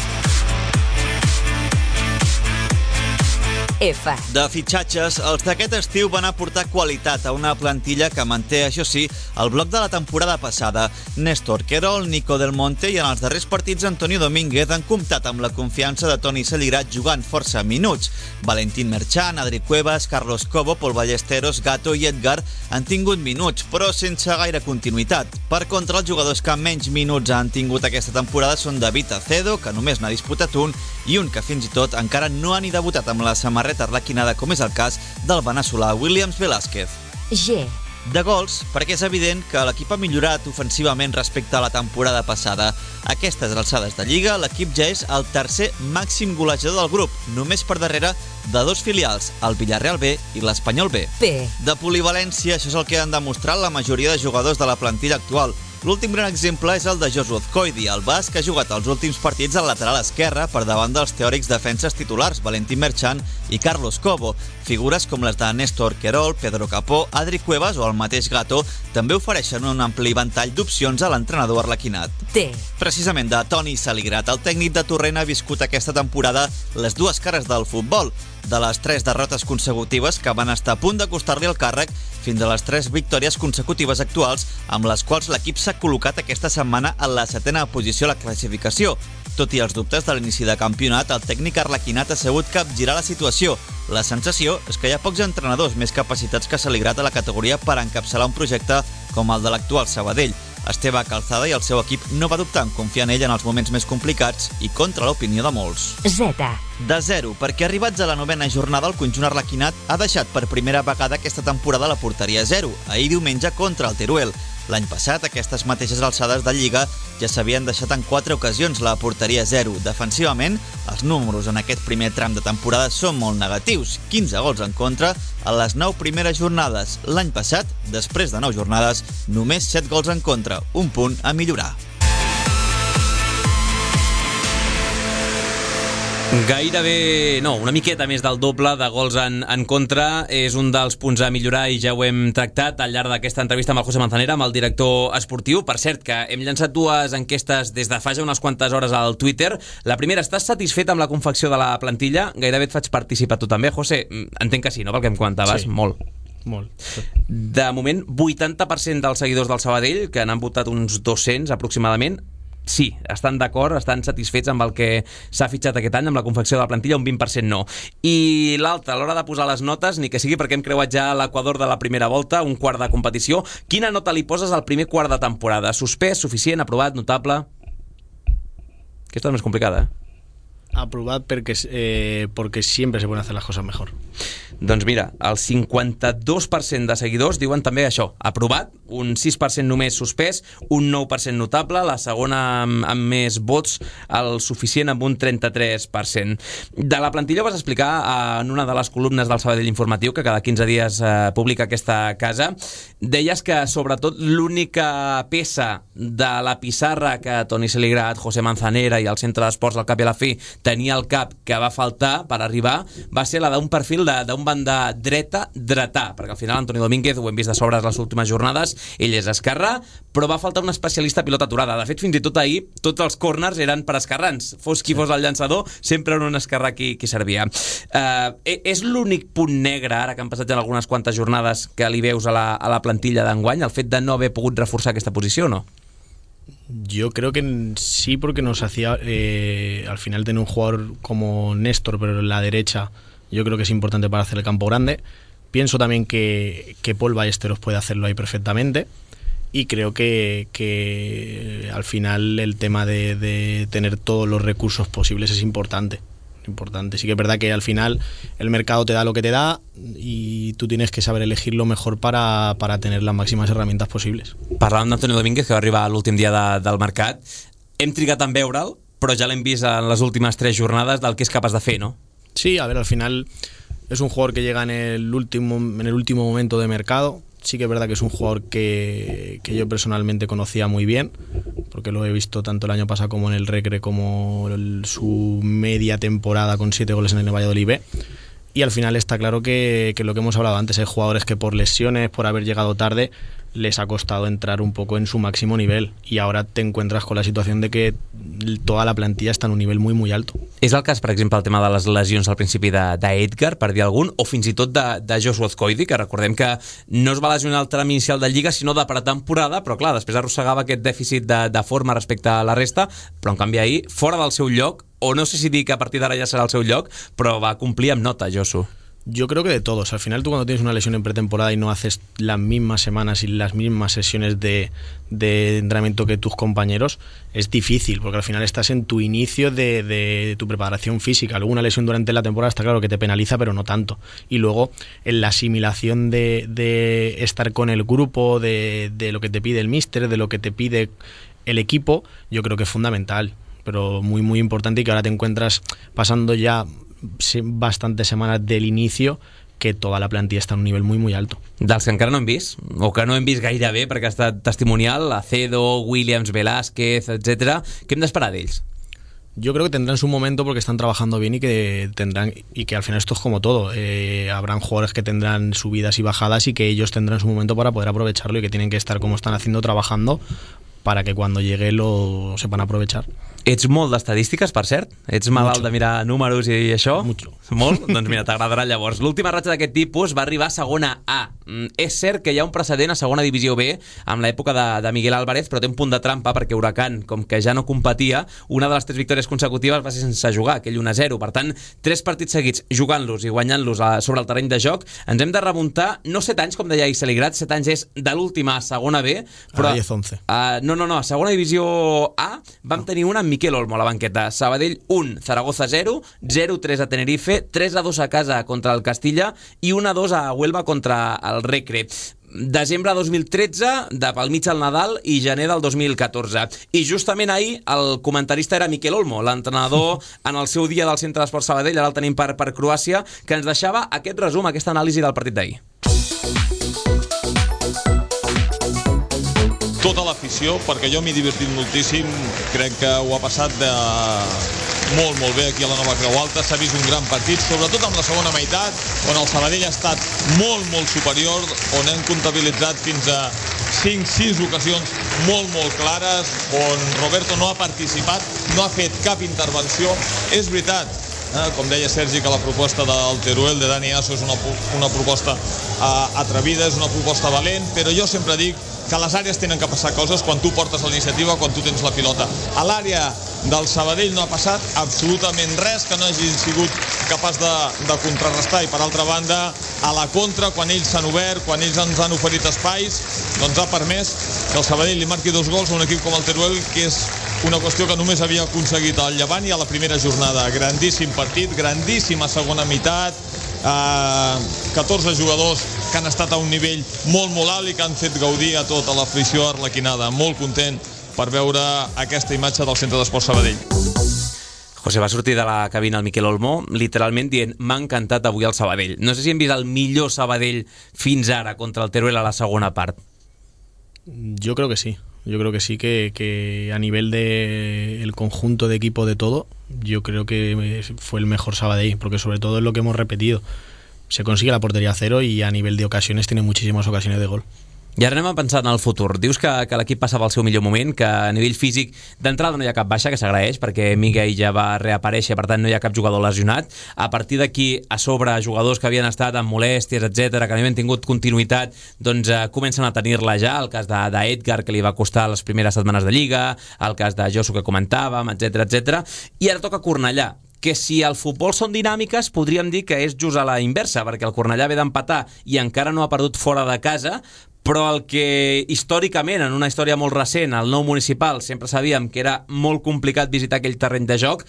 F. De fitxatges, els d'aquest estiu van aportar qualitat a una plantilla que manté, això sí, el bloc de la temporada passada. Néstor Querol, Nico Del Monte i en els darrers partits Antonio Domínguez han comptat amb la confiança de Toni Saligrat jugant força minuts. Valentín Merchan, Adri Cuevas, Carlos Cobo, Pol Ballesteros, Gato i Edgar han tingut minuts, però sense gaire continuïtat. Per contra, els jugadors que menys minuts han tingut aquesta temporada són David Acedo, que només n'ha disputat un, i un que fins i tot encara no ha ni debutat amb la samarreta arlequinada, com és el cas del veneçolà Williams Velázquez. G. De gols, perquè és evident que l'equip ha millorat ofensivament respecte a la temporada passada. A aquestes alçades de Lliga, l'equip ja és el tercer màxim golejador del grup, només per darrere de 2 filials, el Villarreal B i l'Espanyol B. P. De polivalència, això és el que han demostrat la majoria de jugadors de la plantilla actual. L'últim gran exemple és el de Joshua Azcóithi, el basc que ha jugat els últims partits al lateral esquerre per davant dels teòrics defenses titulars Valentín Merchan i Carlos Cobo. Figures com les de Néstor Querol, Pedro Capó, Adri Cuevas o el mateix Gato també ofereixen un ampli ventall d'opcions a l'entrenador arlequinat. Precisament de Toni Saligrat, el tècnic de Torrent ha viscut aquesta temporada les dues cares del futbol, de les 3 derrotes consecutives que van estar a punt de costar-li el càrrec fins a les 3 victòries consecutives actuals, amb les quals l'equip s'ha col·locat aquesta setmana en la 7ª posició a la classificació. Tot i els dubtes de l'inici de campionat, el tècnic arlequinat ha sabut capgirar la situació. La sensació és que hi ha pocs entrenadors més capacitats que Saligrat a la categoria per encapçalar un projecte com el de l'actual Sabadell. Esteve Calzada i el seu equip no va dubtar en confiar en ell en els moments més complicats i contra l'opinió de molts. De 0, perquè arribats a la 9ª jornada el conjunt arlequinat ha deixat per primera vegada aquesta temporada la porteria 0, ahir diumenge contra el Teruel. L'any passat, aquestes mateixes alçades de Lliga ja s'havien deixat en 4 ocasions la porteria 0. Defensivament, els números en aquest primer tram de temporada són molt negatius. 15 gols en contra a les 9 primeres jornades. L'any passat, després de 9 jornades, només 7 gols en contra, un punt a millorar. Gairebé, no, una miqueta més del doble de gols en contra és un dels punts a millorar i ja ho hem tractat al llarg d'aquesta entrevista amb el José Manzanera, amb el director esportiu. Per cert, que hem llançat 2 enquestes des de fa ja unes quantes hores al Twitter. La primera, estàs satisfet amb la confecció de la plantilla? Gairebé et faig participar tu també, José. Entenc que sí, no?, pel que em comentaves. Sí. Molt. De moment, 80% dels seguidors del Sabadell, que n'han votat uns 200 aproximadament, sí, estan d'acord, estan satisfets amb el que s'ha fitxat aquest any, amb la confecció de la plantilla, un 20% no. I l'altre, a l'hora de posar les notes, ni que sigui perquè hem creuat ja l'Equador de la primera volta, un quart de competició, quina nota li poses al primer quart de temporada? Suspès, suficient, aprovat, notable? Aquesta és més complicada, Aprovat porque siempre se pueden hacer las cosas mejor. Doncs mira, el 52% de seguidors diuen també això, aprovat, un 6% només suspès, un 9% notable, la segona amb més vots, el suficient amb un 33%. De la plantilla vas explicar en una de les columnes del Sabadell Informatiu, que cada 15 dies publica aquesta casa. Deies que sobretot l'única peça de la pissarra que Toni Saligrat, José Manzanera i el Centre d'Esports al cap i a la fi tenia al cap que va faltar per arribar va ser la d'un perfil d'un banda dretà, perquè al final Antonio Domínguez, ho hem vist de sobres les últimes jornades, ell és esquerrà, però va faltar un especialista a pilota aturada. De fet, fins i tot ahir, tots els corners eren per esquerrans. Fos qui fos el llançador, sempre era un esquerrà qui servia. És l'únic punt negre, ara que han passat ja algunes quantes jornades, que li veus a la plantilla d'enguany, el fet de no haver pogut reforçar aquesta posició, no? Yo creo que sí, porque nos hacía al final tener un jugador como Néstor, pero en la derecha, yo creo que es importante para hacer el campo grande. Pienso también que Paul Ballesteros puede hacerlo ahí perfectamente, y creo que al final el tema de tener todos los recursos posibles es importante. Sí que es verdad que al final el mercado te da lo que te da y tú tienes que saber elegir lo mejor para tener las máximas herramientas posibles. Parlàvem d'Antonio Domínguez, que va arribar a l'últim dia del mercat. Hem trigat en veure'l, però ja l'hem vist en les últimes 3 jornades del que és capaç de fer, no? Sí, a ver, al final es un jugador que llega en el último momento de mercado. Sí que es verdad que es un jugador que yo personalmente conocía muy bien, porque lo he visto tanto el año pasado como en el Recre, como su media temporada con 7 goles en el Valladolid B. Y al final está claro que lo que hemos hablado antes, hay jugadores que por lesiones, por haber llegado tarde, les ha costado entrar un poco en su máximo nivel, y ahora te encuentras con la situación de que toda la plantilla està en un nivell muy, muy alto. És el cas, per exemple, el tema de les lesions al principi d'Edgar, per dir algun, o fins i tot de Joshua Azcóithi, que recordem que no es va lesionar al tram inicial de Lliga, sinó de pretemporada, però clar, després arrossegava aquest dèficit de forma respecte a la resta, però en canvi ahir, fora del seu lloc, o no sé si dir que a partir d'ara ja serà el seu lloc, però va complir amb nota, Josu. Yo creo que de todos. Al final tú, cuando tienes una lesión en pretemporada y no haces las mismas semanas y las mismas sesiones de entrenamiento que tus compañeros, es difícil, porque al final estás en tu inicio de tu preparación física. Luego una lesión durante la temporada está claro que te penaliza, pero no tanto. Y luego en la asimilación de estar con el grupo, de lo que te pide el míster, de lo que te pide el equipo, yo creo que es fundamental, pero muy, muy importante, y que ahora te encuentras pasando ya bastantes semanas del inicio, que tota la plantilla està a un nivell muy, muy alto. Dels que encara no hem vist, o que no hem vist gaire bé perquè ha estat testimonial, Acedo, Williams, Velázquez, etc. Què hem d'esperar d'ells? Yo creo que tendrán su momento porque están trabajando bien y que al final esto es como todo. Habrán jugadores que tendrán subidas y bajadas y que ellos tendrán su momento para poder aprovecharlo y que tienen que estar como están haciendo, trabajando, para que cuando llegue lo sepan aprovechar. Ets molt d'estadístiques, per cert? Ets malalt de mirar números i això? Mucho. Molt? Doncs mira, t'agradarà llavors. L'última ratxa d'aquest tipus va arribar a segona A. És cert que hi ha un precedent a segona divisió B amb l'època de Miguel Álvarez, però té un punt de trampa perquè Huracán, com que ja no competia, una de les 3 victòries consecutives va ser sense jugar, aquell 1-0. Per tant, 3 partits seguits jugant-los i guanyant-los sobre el terreny de joc. Ens hem de remuntar, no 7 anys, com deia Iseligrat, 7 anys és de l'última a segona B, però... 10-11. No, a segona divisió A vam tenir una amb Miquel Olmo a la banqueta. Sabadell 1, Zaragoza 0, 0-3 a Tenerife, 3-2 a casa contra el Castilla i 1-2 a Huelva contra el Recre. Desembre 2013, de pel mig al Nadal, i gener del 2014. I justament ahir el comentarista era Miquel Olmo, l'entrenador en el seu dia del Centre d'Esport Sabadell, ara el tenim per Croàcia, que ens deixava aquest resum, aquesta anàlisi del partit d'ahir. Tota l'afició, perquè jo m'he divertit moltíssim, crec que ho ha passat molt bé aquí a la Nova Creu Alta, s'ha vist un gran partit, sobretot amb la segona meitat, on el Sabadell ha estat molt superior, on hem comptabilitzat fins a 5-6 ocasions molt clares, on Roberto no ha participat, no ha fet cap intervenció. És veritat, com deia Sergi, que la proposta del Teruel, de Dani Asso, és una proposta atrevida, és una proposta valent, però jo sempre dic que a les àrees tenen que passar coses quan tu portes la iniciativa, quan tu tens la pilota. A l'àrea del Sabadell no ha passat absolutament res que no hagi sigut capaç de contrarrestar, i per altra banda, a la contra, quan ells s'han obert, quan ells ens han oferit espais, doncs ha permès que el Sabadell li marqui 2 gols a un equip com el Teruel, que és una qüestió que només havia aconseguit al Llevant i a la primera jornada. Grandíssim partit, grandíssima segona meitat, 14 jugadors que han estat a un nivell molt alt i que han fet gaudir a tota l'afició arlequinada. Molt content per veure aquesta imatge del Centre d'Esport Sabadell. José, va sortir de la cabina el Miquel Olmo literalment dient: m'ha encantat avui el Sabadell. No sé si hem vist el millor Sabadell fins ara contra el Teruel a la segona part. Yo creo que sí. Yo creo que sí, que a nivel de el conjunto de equipo de todo, yo creo que fue el mejor Sabadell, porque sobre todo es lo que hemos repetido. Se consigue la portería a cero y a nivel de ocasiones tiene muchísimas ocasiones de gol. I ara anem a pensar en el futur. Dius que l'equip passava al seu millor moment, que a nivell físic d'entrada no hi ha cap baixa, que s'agraeix, perquè Miguel ja va reaparèixer, per tant no hi ha cap jugador lesionat. A partir d'aquí, a sobre, jugadors que havien estat amb molèsties, etc, que no havien tingut continuïtat, doncs comencen a tenir-la ja. El cas d'Edgar, que li va costar les primeres setmanes de Lliga, el cas de Josu, que comentàvem, etc. I ara toca Cornellà, que si el futbol són dinàmiques, podríem dir que és just a la inversa, perquè el Cornellà ve d'empatar i encara no ha perdut fora de casa, però el que històricament, en una història molt recent, el Nou Municipal, sempre sabíem que era molt complicat visitar aquell terreny de joc,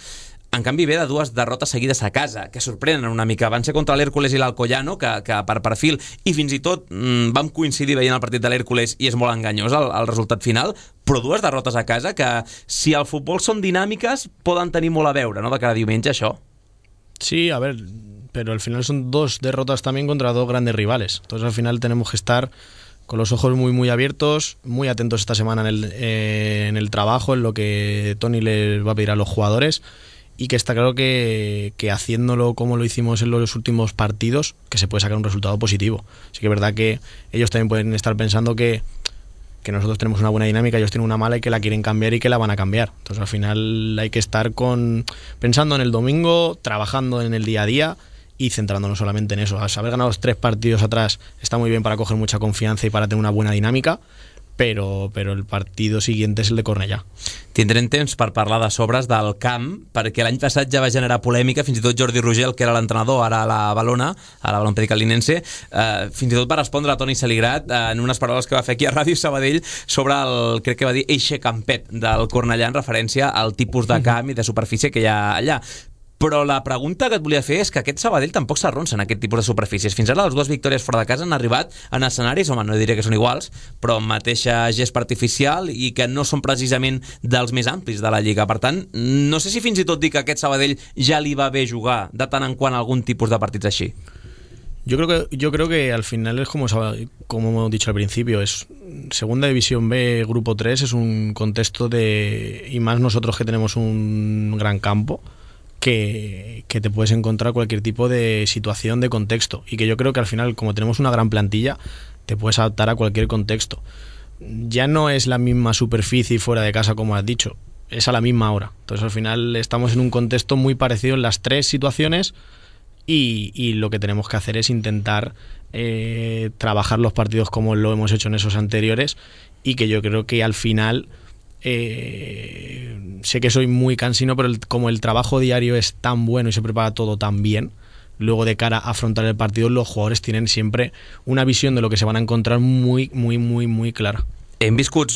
en canvi ve de 2 derrotes seguides a casa, que sorprenen una mica. Van ser contra l'Hèrcules i l'Alcoyano, que per perfil, i fins i tot vam coincidir veient el partit de l'Hèrcules i és molt enganyós el resultat final, però 2 derrotes a casa que, si el futbol són dinàmiques, poden tenir molt a veure, no?, de cada diumenge, això. Sí, a ver, pero al final son 2 derrotas también contra 2 grandes rivales. Entonces al final tenemos que estar con los ojos muy abiertos, muy atentos esta semana en el trabajo, en lo que Tony les va a pedir a los jugadores, y que está claro que haciéndolo como lo hicimos en los últimos partidos, que se puede sacar un resultado positivo. Sí que es verdad que ellos también pueden estar pensando que nosotros tenemos una buena dinámica, ellos tienen una mala y que la quieren cambiar y que la van a cambiar. Entonces al final hay que estar pensando en el domingo, trabajando en el día a día y centrándonos solamente en eso. Haber ganado los 3 partidos atrás está muy bien para coger mucha confianza y para tener una buena dinámica, però el partido siguiente és el de Cornellà. Tindrem temps per parlar de sobres del camp, perquè l'any passat ja va generar polèmica, fins i tot Jordi Rogel, que era l'entrenador, ara a la Balompèdica Linense, fins i tot va respondre a Toni Saligrat en unes paraules que va fer aquí a Ràdio Sabadell sobre crec que va dir, eixe campet del Cornellà, en referència al tipus de camp i de superfície que hi ha allà. Però la pregunta que et volia fer és que aquest Sabadell tampoc s'arronsa en aquest tipus de superfícies. Fins ara les 2 victòries fora de casa han arribat en escenaris, home, no diré que són iguals, però amb mateixa gespa artificial i que no són precisament dels més amplis de la Lliga. Per tant, no sé si fins i tot dir que aquest Sabadell ja li va bé jugar de tant en quant algun tipus de partits així. Yo creo que al final es como hemos dicho al principio, es Segunda División B, Grupo 3, es un contexto y más nosotros que tenemos un gran campo, que te puedes encontrar cualquier tipo de situación, de contexto, y que yo creo que al final, como tenemos una gran plantilla, te puedes adaptar a cualquier contexto. Ya no es la misma superficie fuera de casa, como has dicho, es a la misma hora. Entonces al final estamos en un contexto muy parecido en las tres situaciones, y lo que tenemos que hacer es intentar trabajar los partidos como lo hemos hecho en esos anteriores, y que yo creo que al final sé que soy muy cansino, pero como el trabajo diario es tan bueno y se prepara todo tan bien, luego de cara a afrontar el partido los jugadores tienen siempre una visión de lo que se van a encontrar muy, muy, muy, muy clara. Hem viscut,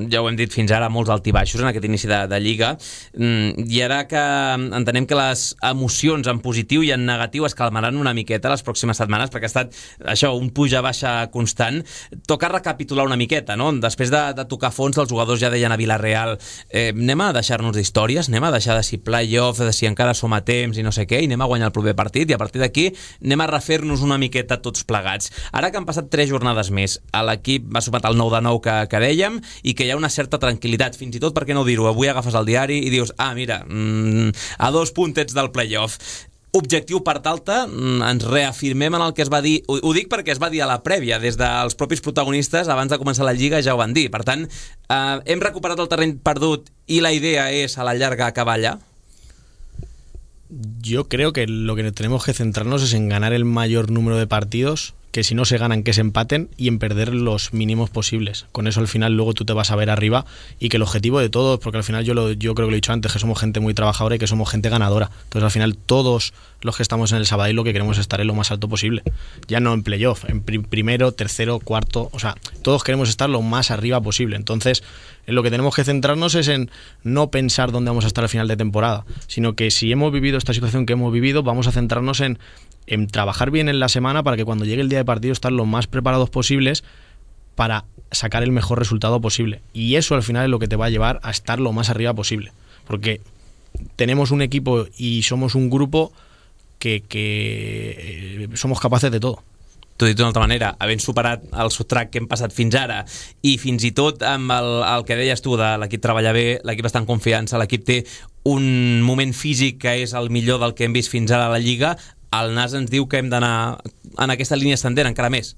ja ho hem dit fins ara, molts altibaixos en aquest inici de Lliga, i ara que entenem que les emocions en positiu i en negatiu es calmaran una miqueta les pròximes setmanes, perquè ha estat això, un puja-baixa constant, toca recapitular una miqueta, no? Després de tocar fons, els jugadors ja deien a Vila-real, anem a deixar-nos d'històries, anem a deixar de si play-off, de si encara som a temps i no sé què, i anem a guanyar el proper partit, i a partir d'aquí anem a refer-nos una miqueta tots plegats. Ara que han passat 3 jornades més, l'equip va sumat el 9-9 que dèiem, i que hi ha una certa tranquil·litat, fins i tot, per què no dir-ho, avui agafes el diari i dius, mira, a 2 puntets del play-off. Objectiu part alta, ens reafirmem en el que es va dir, ho dic perquè es va dir a la prèvia, des dels propis protagonistes, abans de començar la Lliga ja ho van dir, per tant, hem recuperat el terreny perdut i la idea és a la llarga acabar allà? Yo creo que lo que tenemos que centrarnos es en ganar el mayor número de partidos, que si no se ganan, que se empaten, y en perder los mínimos posibles. Con eso al final luego tú te vas a ver arriba, y que el objetivo de todos, porque al final yo creo que lo he dicho antes, que somos gente muy trabajadora y que somos gente ganadora. Entonces al final todos los que estamos en el Sabadell lo que queremos es estar en lo más alto posible. Ya no en playoff, en primero, tercero, cuarto, o sea, todos queremos estar lo más arriba posible. Entonces en lo que tenemos que centrarnos es en no pensar dónde vamos a estar al final de temporada, sino que si hemos vivido esta situación que hemos vivido, vamos a centrarnos en trabajar bien en la semana para que cuando llegue el día de partido estar lo más preparados posibles para sacar el mejor resultado posible. Y eso al final es lo que te va a llevar a estar lo más arriba posible. Porque tenemos un equipo y somos un grupo que somos capaces de todo. T'ho dit d'una altra manera, havent superat el sotrac que hem passat fins ara, i fins i tot amb el que deies tu de l'equip treballa bé, l'equip està en confiança, l'equip té un moment físic que és el millor del que hem vist fins ara a la Lliga, el Nas ens diu que hem d'anar en aquesta línia ascendent encara més.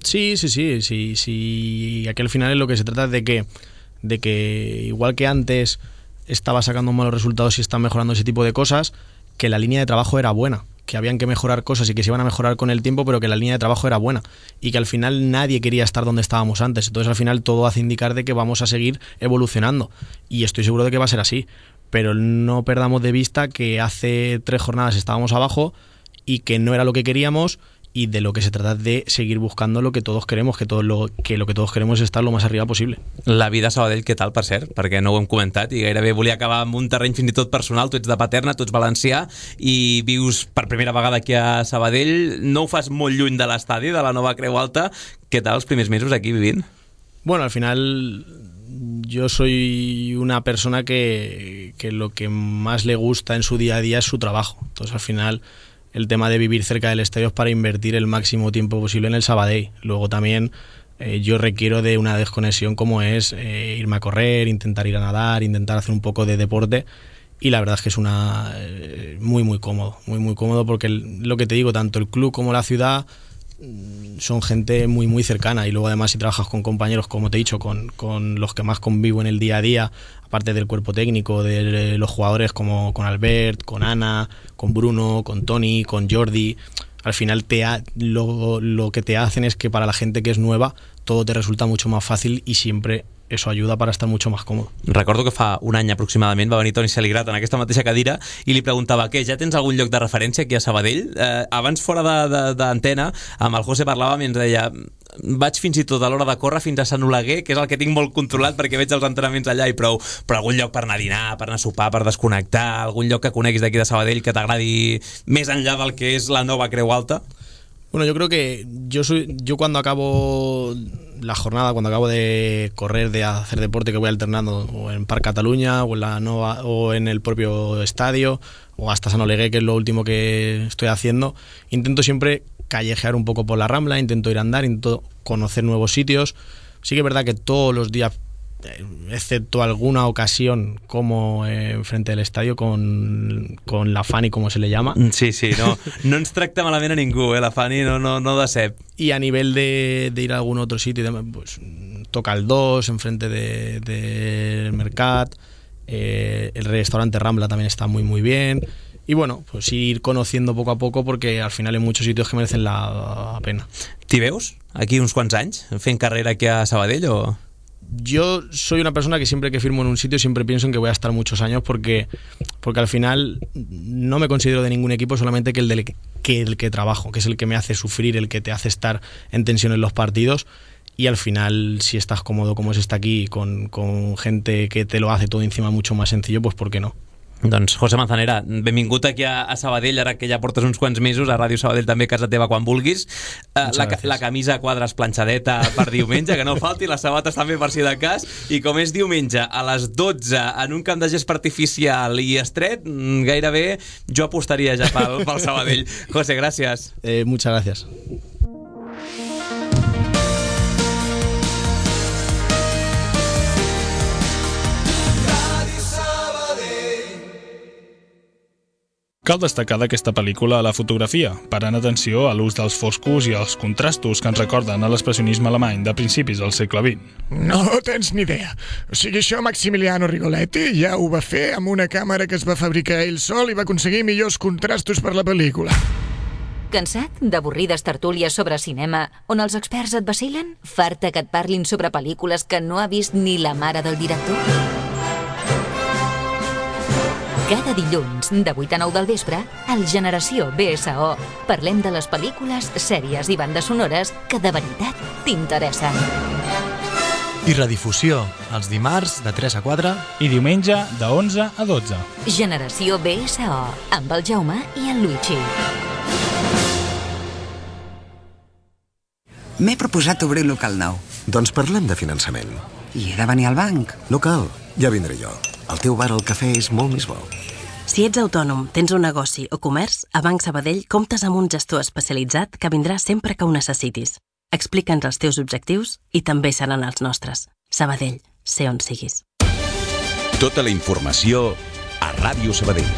Sí. Aquí al final es lo que se trata de que igual que antes estaba sacando malos resultados y está mejorando ese tipo de cosas, que la línea de trabajo era buena, que habían que mejorar cosas y que se iban a mejorar con el tiempo, pero que la línea de trabajo era buena y que al final nadie quería estar donde estábamos antes. Entonces al final todo hace indicar de que vamos a seguir evolucionando, y estoy seguro de que va a ser así, pero no perdamos de vista que hace 3 jornadas estábamos abajo y que no era lo que queríamos, y de lo que se trata de seguir buscando lo que todos queremos, que lo que todos queremos es estar lo más arriba possible. La vida a Sabadell, què tal, per cert? Perquè no ho hem comentat i gairebé volia acabar amb un terreny fins i tot personal. Tu ets de Paterna, tu ets valencià i vius per primera vegada aquí a Sabadell. No ho fas molt lluny de l'estadi, de la nova Creu Alta. Què tal els primers mesos aquí vivint? Bueno, al final yo soy una persona que lo que más le gusta en su día a día es su trabajo. Entonces al final el tema de vivir cerca del estadio es para invertir el máximo tiempo posible en el Sabadell. Luego también yo requiero de una desconexión como es irme a correr, intentar ir a nadar, intentar hacer un poco de deporte, y la verdad es que es muy cómodo porque lo que te digo, tanto el club como la ciudad son gente muy cercana, y luego además si trabajas con compañeros, como te he dicho, con los que más convivo en el día a día, aparte del cuerpo técnico, de los jugadores como con Albert, con Ana, con Bruno, con Toni, con Jordi, al final lo que te hacen es que para la gente que es nueva todo te resulta mucho más fácil, y siempre eso ayuda para estar mucho más cómodo. Recordo que fa un any aproximadament va venir Toni Saligrat en aquesta mateixa cadira i li preguntava, què, ja tens algun lloc de referència aquí a Sabadell? Abans fora d'antena amb el José parlàvem i ens deia, vaig fins i tot a l'hora de córrer fins a Sant Oleguer, que és el que tinc molt controlat perquè veig els entrenaments allà i prou, però algun lloc per anar a dinar, per anar a sopar, per desconnectar, algun lloc que coneguis d'aquí de Sabadell que t'agradi més enllà del que és la nova Creu Alta? Bueno, yo creo que yo cuando acabo la jornada, cuando acabo de correr, de hacer deporte, que voy alternando o en Parc Catalunya o en la Nova o en el propio estadio o hasta Sant Oleguer, que es lo último que estoy haciendo, intento siempre callejear un poco por la Rambla, intento ir a andar, intento conocer nuevos sitios. Sí que es verdad que todos los días, excepto alguna ocasión como frente al estadio con la Fanny, como se le llama. Sí, no ens tracta malament a ningú, la Fanny no decep. Y a nivel de ir a algún otro sitio, pues toca el 2 enfrente del Mercat, el restaurante Rambla también está muy muy bien. Y bueno, pues ir conociendo poco a poco, porque al final hay muchos sitios que merecen la pena. T'hi veus aquí uns quants anys fent carrera aquí a Sabadell o...? Yo soy una persona que siempre que firmo en un sitio siempre pienso en que voy a estar muchos años, porque al final no me considero de ningún equipo, solamente que el que trabajo, que es el que me hace sufrir, el que te hace estar en tensión en los partidos. Y al final, si estás cómodo como se está aquí, con gente que te lo hace todo encima mucho más sencillo, pues ¿por qué no? Doncs José Manzanera, benvingut aquí a Sabadell, ara que ja portes uns quants mesos a Ràdio Sabadell, també a casa teva quan vulguis. La camisa a quadres planxadeta per diumenge, que no falti, les sabates també per si de cas, i com és diumenge a les 12 en un camp de gest artificial i estret, gairebé jo apostaria ja pel Sabadell. José, gràcies. Muchas gracias. Cal destacar d'aquesta pel·lícula la fotografia, parant atenció a l'ús dels foscos i els contrastos que ens recorden a l'expressionisme alemany de principis del segle XX. No tens ni idea. O sigui, això Maximiliano Rigoletti ja ho va fer amb una càmera que es va fabricar ell sol i va aconseguir millors contrastos per la pel·lícula. Cansat d'avorrides tertúlies sobre cinema on els experts et vacilen? Farta que et parlin sobre pel·lícules que no ha vist ni la mare del director? Cada dilluns, de 8 a 9 del vespre, al Generació BSO, parlem de les pel·lícules, sèries i bandes sonores que de veritat t'interessen. I redifusió, els dimarts de 3 a 4 i diumenge de 11 a 12. Generació BSO, amb el Jaume i el Luigi. M'he proposat obrir un local nou. Doncs parlem de finançament. I he de venir al banc. No cal, ja vindré jo. El teu bar al cafè és molt més bo. Si ets autònom, tens un negoci o comerç, a Banc Sabadell comptes amb un gestor especialitzat que vindrà sempre que ho necessitis. Explica'ns els teus objectius i també seran els nostres. Sabadell, sé on siguis. Tota la informació a Ràdio Sabadell.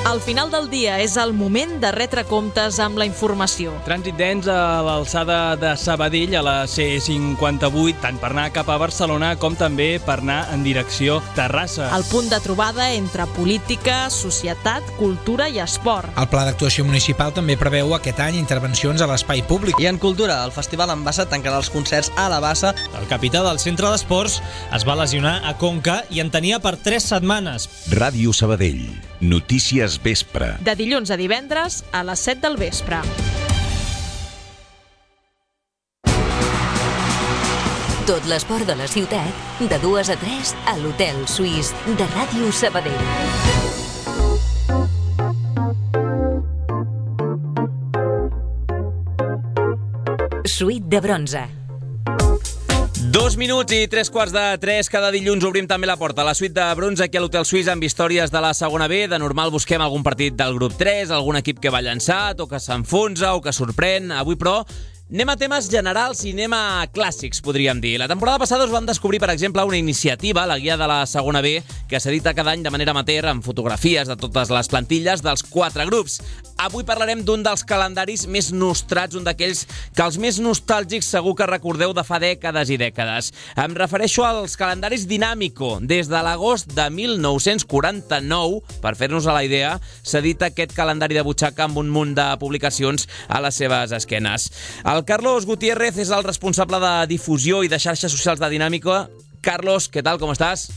Al final del dia és el moment de retre comptes amb la informació. Trànsit dens a l'alçada de Sabadell, a la C58, tant per anar cap a Barcelona com també per anar en direcció Terrassa. El punt de trobada entre política, societat, cultura i esport. El pla d'actuació municipal també preveu aquest any intervencions a l'espai públic. I en cultura, el Festival en Bassa tancarà els concerts a la Bassa. El capità del centre d'esports es va lesionar a Conca i en tenia per 3 setmanes. Ràdio Sabadell. Notícies vespre. De dilluns a divendres a les 7 del vespre. Tot l'esport de la ciutat, de 2 a 3 a l'Hotel Suís de Ràdio Sabadell. Suite de bronze. 2 minuts i 3:15. Cada dilluns obrim també la porta a la suite de bronze aquí a l'Hotel Suís amb històries de la segona B. De normal busquem algun partit del grup 3, algun equip que va llançat o que s'enfonsa o que sorprèn. Avui, però, anem a temes generals i anem a clàssics, podríem dir. La temporada passada us vam descobrir, per exemple, una iniciativa, la guia de la segona B, que s'edita cada any de manera amateur amb fotografies de totes les plantilles dels 4 grups. Avui parlarem d'un dels calendaris més nostrats, un d'aquells que els més nostàlgics segur que recordeu de fa dècades i dècades. Em refereixo als calendaris Dinàmico. Des de l'agost de 1949, per fer-nos a la idea, s'edita aquest calendari de butxaca amb un munt de publicacions a les seves esquenes. El Carlos Gutiérrez és el responsable de difusió i de xarxes socials de Dinàmico. Carlos, ¿qué tal? ¿Cómo estás?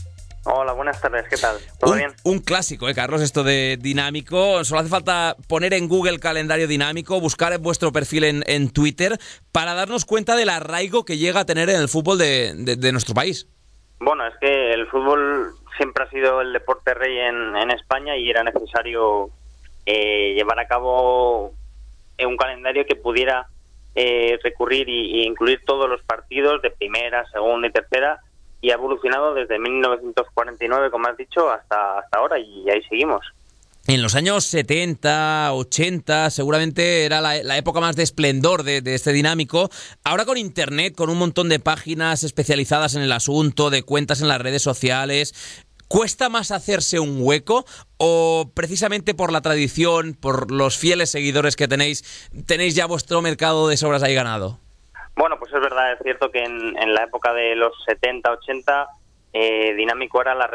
Hola, buenas tardes, ¿qué tal? ¿Todo bien? Un clásico, Carlos, esto de Dinámico. Solo hace falta poner en Google calendario Dinámico, buscar en vuestro perfil en Twitter para darnos cuenta del arraigo que llega a tener en el fútbol de nuestro país. Bueno, es que el fútbol siempre ha sido el deporte rey en España y era necesario llevar a cabo un calendario que pudiera recurrir e incluir todos los partidos de primera, segunda y tercera, y ha evolucionado desde 1949, como has dicho, hasta ahora, y ahí seguimos. en los años 70, 80, seguramente era la época más de esplendor de este Dinámico. Ahora con Internet, con un montón de páginas especializadas en el asunto, de cuentas en las redes sociales, ¿cuesta más hacerse un hueco o precisamente por la tradición, por los fieles seguidores que tenéis ya vuestro mercado de sobras ahí ganado? Bueno, pues es verdad, es cierto que en la época de los 70, 80, Dinámico era la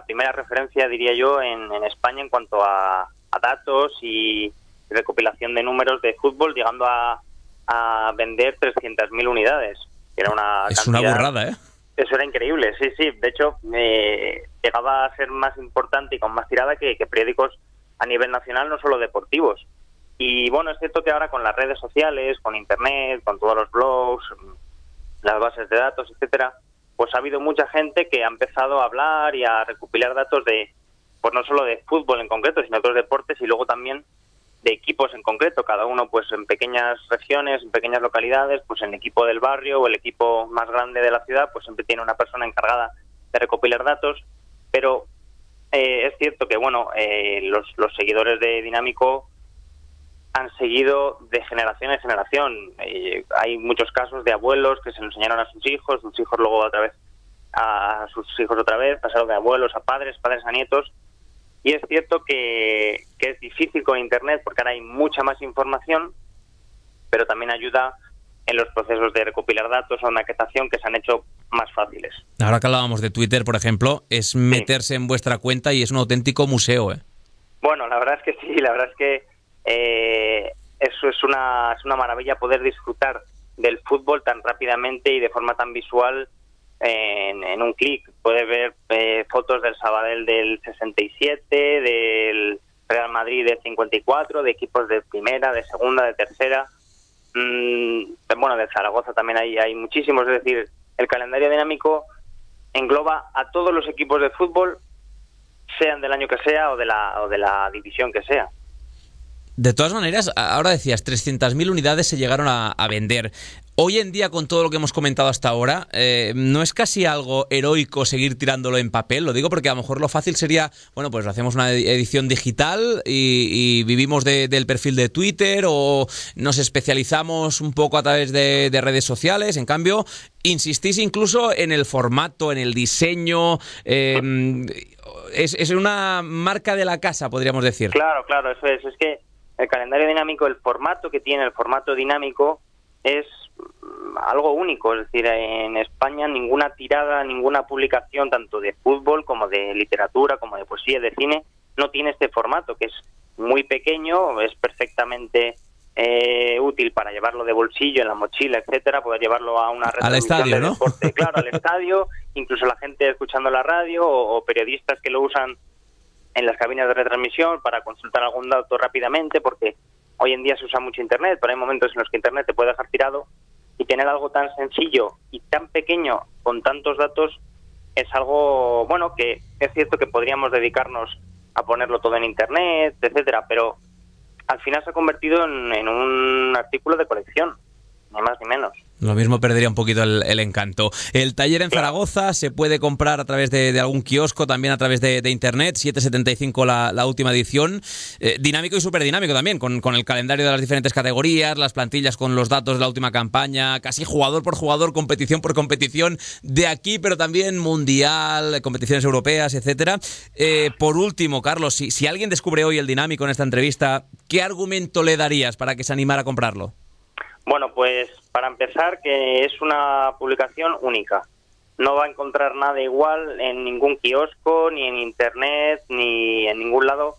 primera referencia, diría yo, en España en cuanto a datos y recopilación de números de fútbol, llegando a vender 300.000 unidades. Era es una burrada, ¿eh? Eso era increíble, sí. De hecho, llegaba a ser más importante y con más tirada que periódicos a nivel nacional, no solo deportivos. Y bueno, es cierto que ahora con las redes sociales, con Internet, con todos los blogs, las bases de datos, etcétera, pues ha habido mucha gente que ha empezado a hablar y a recopilar datos pues no solo de fútbol en concreto, sino de otros deportes y luego también de equipos en concreto, cada uno pues en pequeñas regiones, en pequeñas localidades, pues el equipo del barrio o el equipo más grande de la ciudad, pues siempre tiene una persona encargada de recopilar datos, pero es cierto que bueno, los seguidores de Dinámico han seguido de generación en generación. Hay muchos casos de abuelos que se lo enseñaron a sus hijos luego otra vez a sus hijos otra vez, pasaron de abuelos a padres a nietos. Y es cierto que es difícil con Internet porque ahora hay mucha más información, pero también ayuda en los procesos de recopilar datos o maquetación que se han hecho más fáciles. Ahora que hablábamos de Twitter, por ejemplo, es meterse en vuestra cuenta y es un auténtico museo, ¿eh? Bueno, la verdad es que sí, la verdad es que eso es una maravilla poder disfrutar del fútbol tan rápidamente y de forma tan visual en un clic. Puedes ver fotos del Sabadell del 67, del Real Madrid del 54, de equipos de primera, de segunda, de tercera. Bueno, de Zaragoza también hay muchísimos. Es decir, el calendario Dinámico engloba a todos los equipos de fútbol, sean del año que sea o de la división que sea. De todas maneras, ahora decías, 300.000 unidades se llegaron a vender. Hoy en día, con todo lo que hemos comentado hasta ahora, ¿no es casi algo heroico seguir tirándolo en papel? Lo digo porque a lo mejor lo fácil sería, bueno, pues hacemos una edición digital y vivimos del perfil de Twitter o nos especializamos un poco a través de redes sociales. En cambio, insistís incluso en el formato, en el diseño. Es una marca de la casa, podríamos decir. Claro, eso es. Es que el calendario Dinámico, el formato que tiene, el formato dinámico, es algo único. Es decir, en España ninguna tirada, ninguna publicación, tanto de fútbol como de literatura, como de poesía, de cine, no tiene este formato, que es muy pequeño, es perfectamente útil para llevarlo de bolsillo, en la mochila, etcétera, poder llevarlo a una retransmisión de deporte. Claro, al estadio, incluso la gente escuchando la radio o periodistas que lo usan en las cabinas de retransmisión para consultar algún dato rápidamente, porque hoy en día se usa mucho Internet, pero hay momentos en los que Internet te puede dejar tirado, y tener algo tan sencillo y tan pequeño con tantos datos es algo, bueno, que es cierto que podríamos dedicarnos a ponerlo todo en Internet, etcétera, pero al final se ha convertido en un artículo de colección, ni más ni menos. Lo mismo perdería un poquito el encanto. El taller en Zaragoza se puede comprar a través de algún kiosco, también a través de Internet, 7,75 la última edición. Dinámico y superdinámico también, con el calendario de las diferentes categorías, las plantillas con los datos de la última campaña, casi jugador por jugador, competición por competición, de aquí, pero también mundial, competiciones europeas, etcétera. Por último, Carlos, si alguien descubre hoy el Dinámico en esta entrevista, ¿qué argumento le darías para que se animara a comprarlo? Bueno, pues para empezar, que es una publicación única. No va a encontrar nada igual en ningún kiosco, ni en Internet, ni en ningún lado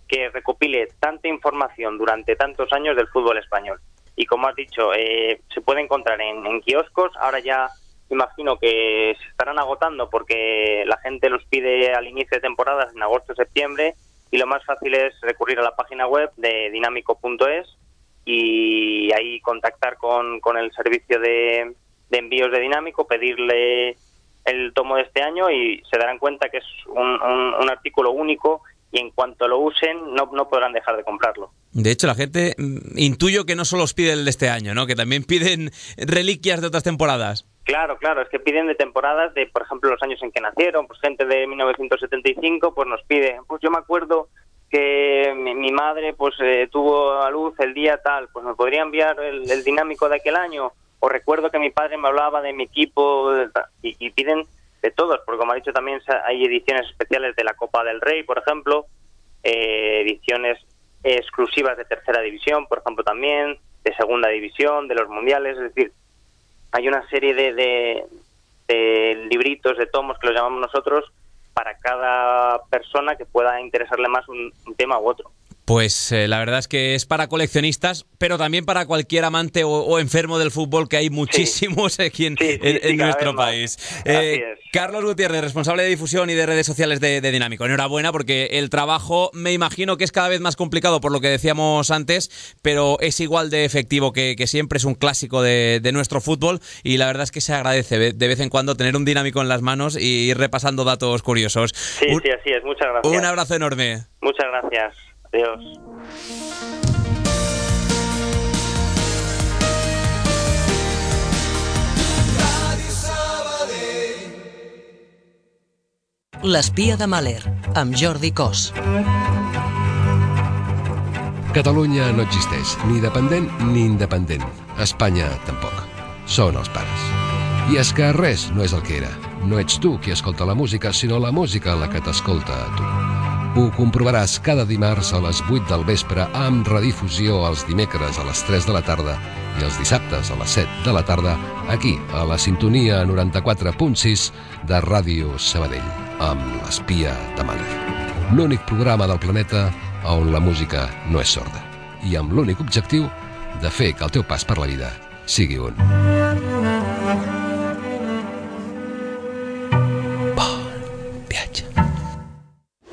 que recopile tanta información durante tantos años del fútbol español. Y como has dicho, se puede encontrar en kioscos. Ahora ya imagino que se estarán agotando porque la gente los pide al inicio de temporadas en agosto o septiembre, y lo más fácil es recurrir a la página web de dinámico.es y ahí contactar con el servicio de envíos de Dinámico, pedirle el tomo de este año y se darán cuenta que es un artículo único, y en cuanto lo usen no podrán dejar de comprarlo. De hecho, la gente intuyo que no solo os pide el de este año, ¿no? Que también piden reliquias de otras temporadas. Claro, es que piden de temporadas de, por ejemplo, los años en que nacieron, pues gente de 1975 pues nos pide, pues yo me acuerdo que mi madre pues tuvo a luz el día tal, pues me podría enviar el dinámico de aquel año, o recuerdo que mi padre me hablaba de mi equipo, y piden de todos, porque como ha dicho también hay ediciones especiales de la Copa del Rey, por ejemplo, ediciones exclusivas de tercera división, por ejemplo también, de segunda división, de los mundiales, es decir, hay una serie de libritos, de tomos que los llamamos nosotros, para cada persona que pueda interesarle más un tema u otro. Pues la verdad es que es para coleccionistas, pero también para cualquier amante o enfermo del fútbol, que hay muchísimos aquí en nuestro país. Carlos Gutiérrez, responsable de difusión y de redes sociales de Dinámico. Enhorabuena, porque el trabajo me imagino que es cada vez más complicado por lo que decíamos antes, pero es igual de efectivo que siempre. Es un clásico de nuestro fútbol y la verdad es que se agradece de vez en cuando tener un Dinámico en las manos y ir repasando datos curiosos. Sí, así es. Muchas gracias. Un abrazo enorme. Muchas gracias. Adiós. L'espia de Mahler, amb Jordi Cos. Catalunya no existeix, ni dependent ni independent. Espanya tampoc. Són els pares. I és que res no és el que era. No ets tu qui escolta la música, sinó la música la que t'escolta a tu. Ho comprovaràs cada dimarts a les 8 del vespre amb redifusió els dimecres a les 3 de la tarda i els dissabtes a les 7 de la tarda aquí, a la sintonia 94.6 de Ràdio Sabadell, amb l'espia de Mahler. L'únic programa del planeta on la música no és sorda i amb l'únic objectiu de fer que el teu pas per la vida sigui un bon viatge.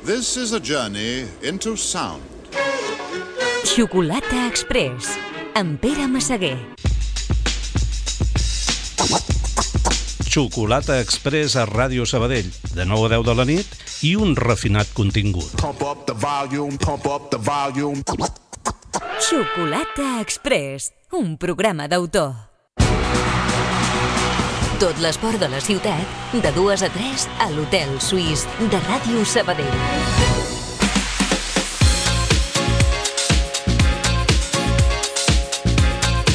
This is a journey into sound. Xocolata Express, amb Pere Massaguer. Xocolata Express a Ràdio Sabadell, de 9 a 10 de la nit i un refinat contingut. Pump up the volume, pump up the volume. Xocolata Express, un programa d'autor. Tot l'esport de la ciutat, de 2 a 3 a l'Hotel Suís de Ràdio Sabadell.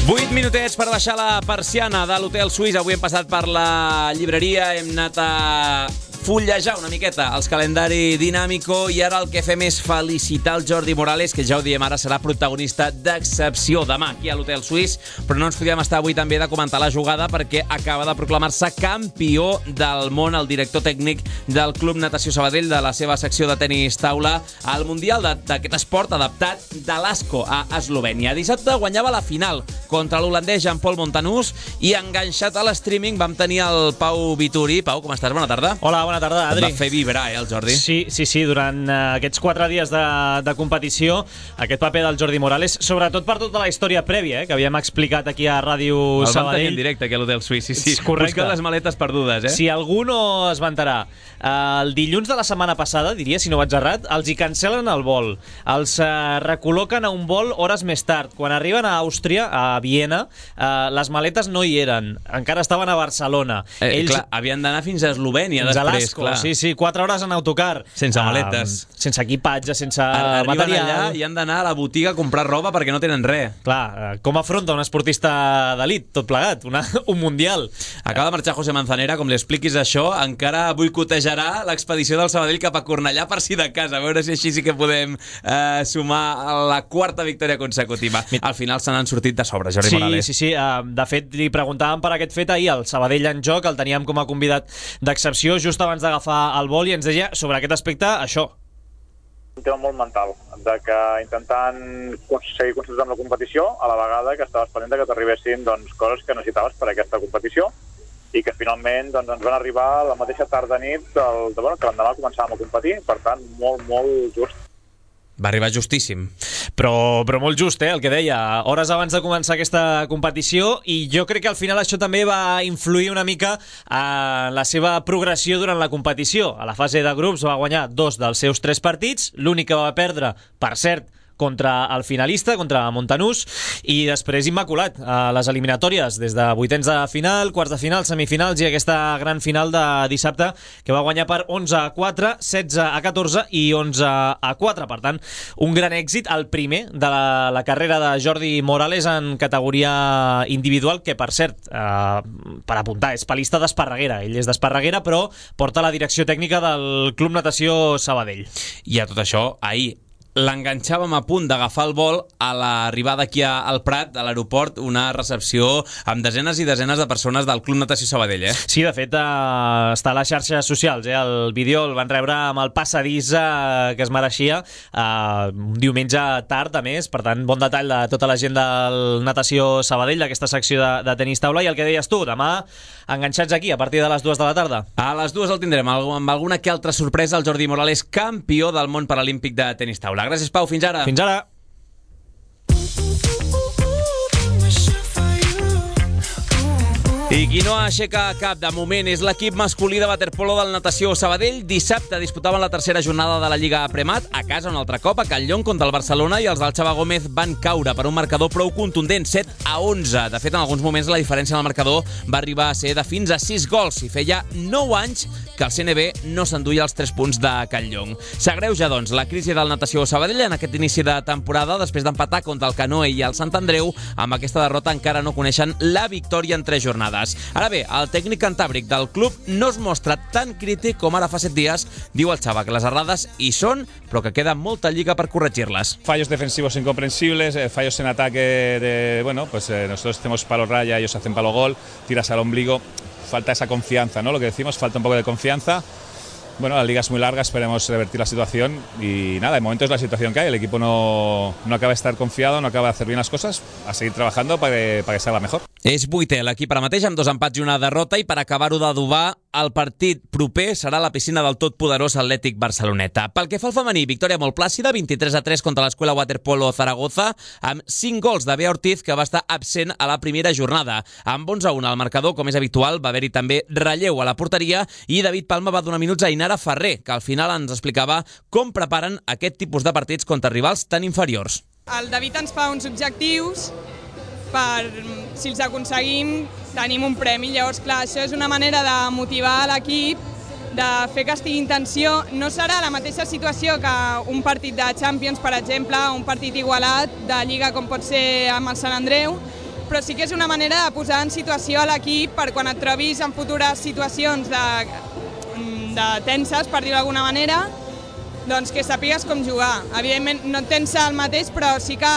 Vuit minutets per baixar la persiana de l'Hotel Suís. Avui hem passat per la llibreria, hem anat a fullejar una miqueta els calendari Dinámico i ara el que fem és felicitar el Jordi Morales, que ja ho diem ara serà protagonista d'excepció demà aquí a l'Hotel Suís, però no ens podíem estar avui també de comentar la jugada perquè acaba de proclamar-se campió del món el director tècnic del Club Natació Sabadell, de la seva secció de tenis taula al Mundial d'aquest esport adaptat de l'Asco a Eslovènia. Dissabte guanyava la final contra l'holandès Jean-Paul Montanús i enganxat a l'streaming vam tenir el Pau Vituri. Pau, com estàs? Bona tarda. Hola, bona tarda, Adri. Et va fer vibrar, el Jordi? Sí, durant aquests 4 dies de competició, aquest paper del Jordi Morales, sobretot per tota la història prèvia, que havíem explicat aquí a Ràdio Sabadell. El vam tenir en directe aquí a l'Hotel Suís, sí. Correcte. Busca les maletes perdudes, Si algú no es vantarà, el dilluns de la setmana passada, diria, si no vaig errat, els hi cancel·len el vol. Els recol·loquen a un vol hores més tard. Quan arriben a Àustria, a Viena, les maletes no hi eren. Encara estaven a Barcelona. Clar, havien d'anar fins a Eslovènia després. Clar. Sí, 4 hores en autocar. Sense maletes. Sense equipatge, sense material. Arriben allà i han d'anar a la botiga a comprar roba perquè no tenen res. Clar, com afronta un esportista d'elit, tot plegat, un mundial. Acaba de marxar José Manzanera, com li expliquis això, encara boicotejarà l'expedició del Sabadell cap a Cornellà per si de casa, a veure si així sí que podem sumar la 4ª victòria consecutiva. Al final se n'han sortit de sobre, Jordi Morales. Sí. De fet, li preguntàvem per aquest fet ahir, el Sabadell en joc, el teníem com a convidat d'excepció just abans d'agafar el vol i ens deia sobre aquest aspecte això. Un tema molt mental, de que intentant seguir concentrant la competició, a la vegada que estaves pendent que t'arribessin coses que necessitaves per a aquesta competició i que finalment ens van arribar la mateixa tarda-nit que l'endemà començàvem a competir, per tant, molt just. Va arribar justíssim. Però molt just, el que deia, hores abans de començar aquesta competició, i jo crec que al final això també va influir una mica en la seva progressió durant la competició. A la fase de grups va guanyar 2 dels seus 3 partits, l'únic que va perdre, per cert, contra el finalista, contra Montanús, i després immaculat a les eliminatòries, des de vuitens de final, quarts de final, semifinals i aquesta gran final de dissabte que va guanyar per 11-4, 16-14 i 11-4. Per tant, un gran èxit, el primer de la carrera de Jordi Morales en categoria individual, que per cert, per apuntar, és palista d'Esparreguera. Ell és d'Esparreguera, però porta la direcció tècnica del Club Natació Sabadell. I a tot això, ahir l'enganxàvem a punt d'agafar el vol a l'arribada aquí al Prat, a l'aeroport, una recepció amb desenes i desenes de persones del Club Natació Sabadell, Sí, de fet, està a les xarxes socials, El vídeo el van rebre amb el passadís que es mereixia, un diumenge tard, a més, per tant, bon detall de tota la gent del Natació Sabadell, d'aquesta secció de tenis taula, i el que deies tu, demà enganxats aquí, a partir de les 2 de la tarda. A les 2 el tindrem, amb alguna que altra sorpresa, el Jordi Morales, campió del món paralímpic de tenis taula. Gràcies, Pau. Fins ara. Fins ara. I qui no aixeca cap de moment és l'equip masculí de waterpolo del Natació Sabadell. Dissabte disputaven la tercera jornada de la Lliga Premat a casa un altre cop a Catlllon contra el Barcelona, i els del Xava Gómez van caure per un marcador prou contundent, 7-11. De fet, en alguns moments la diferència en el marcador va arribar a ser de fins a 6 gols i feia 9 anys que el CNB no s'enduia els 3 punts de Catlllon. S'agreuja, doncs, la crisi del Natació Sabadell en aquest inici de temporada després d'empatar contra el Canoe i el Sant Andreu. Amb aquesta derrota encara no coneixen la victòria en 3 jornades. Ara bé, el tècnic cantàbric del club no es mostra tan crític com ara fa 7 dies. Diu el Xava que les errades hi són, però que queda molta lliga per corregir-les. Fallos defensivos incomprensibles, fallos en ataque nosotros hacemos palo raya, ellos hacen palo gol, tiras al ombligo, falta esa confianza, ¿no? Lo que decimos, falta un poco de confianza. Bueno, la liga es muy larga, esperemos revertir la situación y nada, de momento es la situación que hay, el equipo no acaba de estar confiado, no acaba de hacer bien las cosas, a seguir trabajando para que salga mejor. És vuitè l'equip ara mateix amb 2 empats i una derrota, i per acabar-ho d'adobar, el partit proper serà a la piscina del totpoderós Atlètic Barceloneta. Pel que fa al femení, victòria molt plàcida, 23-3 contra l'Escuela Waterpolo Zaragoza, amb 5 gols de Bea Ortiz, que va estar absent a la primera jornada. Amb 11-1 al marcador, com és habitual, va haver-hi també relleu a la porteria, i David Palma va donar minuts a Inara Ferrer, que al final ens explicava com preparen aquest tipus de partits contra rivals tan inferiors. El David ens fa uns objectius per, si els aconseguim, tenim un premi. Llavors, clar, això és una manera de motivar l'equip, de fer que estigui en tensió. No serà la mateixa situació que un partit de Champions, per exemple, un partit igualat de Lliga com pot ser amb el Sant Andreu, però sí que és una manera de posar en situació a l'equip per quan et trobis en futures situacions de tenses, per dir-ho d'alguna manera, doncs que sàpigues com jugar. Evidentment no et tensa el mateix, però sí que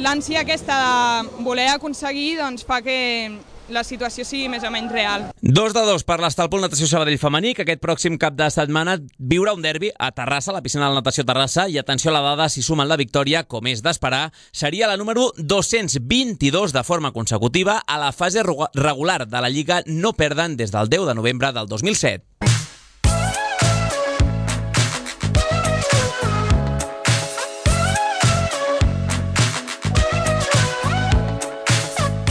l'ànsia aquesta de voler aconseguir doncs fa que la situació sigui més o menys real. 2-2 per l'Estalpol Natació Sabadell femení, que aquest pròxim cap de setmana viurà un derbi a Terrassa, a la piscina de la Natació Terrassa, i atenció a la dada, si sumen la victòria, com és d'esperar, seria la número 222 de forma consecutiva a la fase regular de la Lliga. No perden des del 10 de novembre del 2007.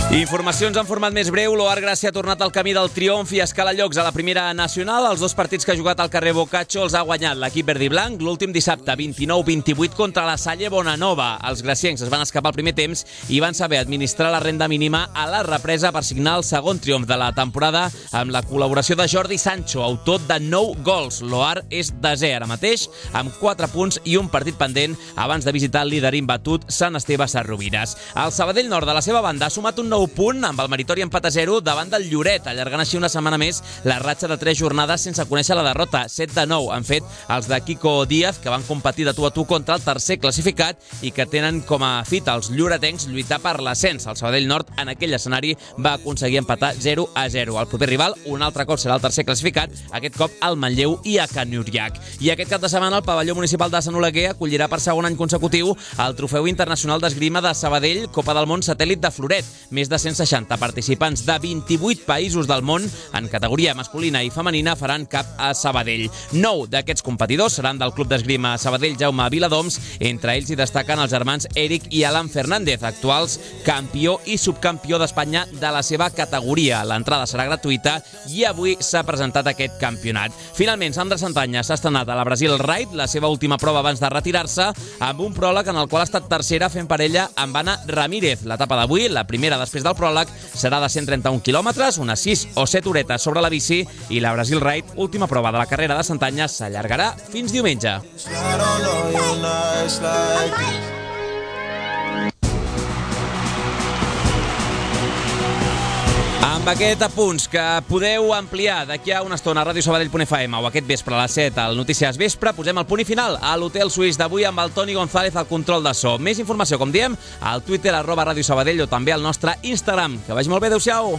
Informacions en format més breu. L'Oar Gràcia ha tornat al camí del triomf i escala llocs a la primera nacional. Els 2 partits que ha jugat al carrer Boccaccio els ha guanyat l'equip verd i blanc. L'últim dissabte, 29-28 contra la Salle Bonanova. Els graciencs es van escapar al primer temps i van saber administrar la renda mínima a la represa per signar el segon triomf de la temporada amb la col·laboració de Jordi Sancho, autor de 9 gols. L'Oar és desè ara mateix, amb 4 punts i un partit pendent abans de visitar el líder imbatut Sant Esteve Sarrovires. El Sabadell Nord, de la seva banda, ha sumat un nou punt amb el meritori empat a 0 davant del Lloret, allargant així una setmana més la ratxa de 3 jornades sense conèixer la derrota. 7-9 han fet els de Kiko Díaz, que van competir de tu a tu contra el tercer classificat i que tenen com a fita els lloretencs lluitar per l'ascens. El Sabadell Nord en aquell escenari va aconseguir empatar 0-0. El proper rival un altre cop serà el tercer classificat, aquest cop al Manlleu i a Can Uriac. I aquest cap de setmana el pavelló municipal de Sant Oleguer acollirà per segon any consecutiu el Trofeu Internacional d'Esgrima de Sabadell, Copa del Món Satèl·lit de Floret. Més de de 160 participants de 28 països del món en categoria masculina i femenina faran cap a Sabadell. 9 d'aquests competidors seran del Club d'Esgrima Sabadell Jaume Viladoms. Entre ells hi destaquen els germans Eric i Alan Fernández, actuals campió i subcampió d'Espanya de la seva categoria. L'entrada serà gratuïta i avui s'ha presentat aquest campionat. Finalment, Sandra Santanya s'ha estrenat a la Brasil Ride, la seva última prova abans de retirar-se, amb un pròleg en el qual ha estat tercera fent parella amb Anna Ramírez. L'etapa d'avui, la primera després del pròleg, serà de 131 quilòmetres, unes 6 o 7 horetes sobre la bici, i la Brasil Ride, última prova de la carrera de Santanya, s'allargarà fins diumenge. Amb aquest apunts que podeu ampliar d'aquí a una estona a radiosabadell.fm o aquest vespre a les 7 al Notícies Vespre, posem el punt i final a l'Hotel Suís d'avui amb el Toni González al control de so. Més informació, com diem, al Twitter @radiosabadell o també al nostre Instagram. Que vagi molt bé, adeu-siau!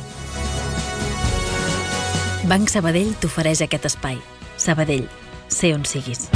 Banc Sabadell t'ofereix aquest espai. Sabadell, sé on siguis.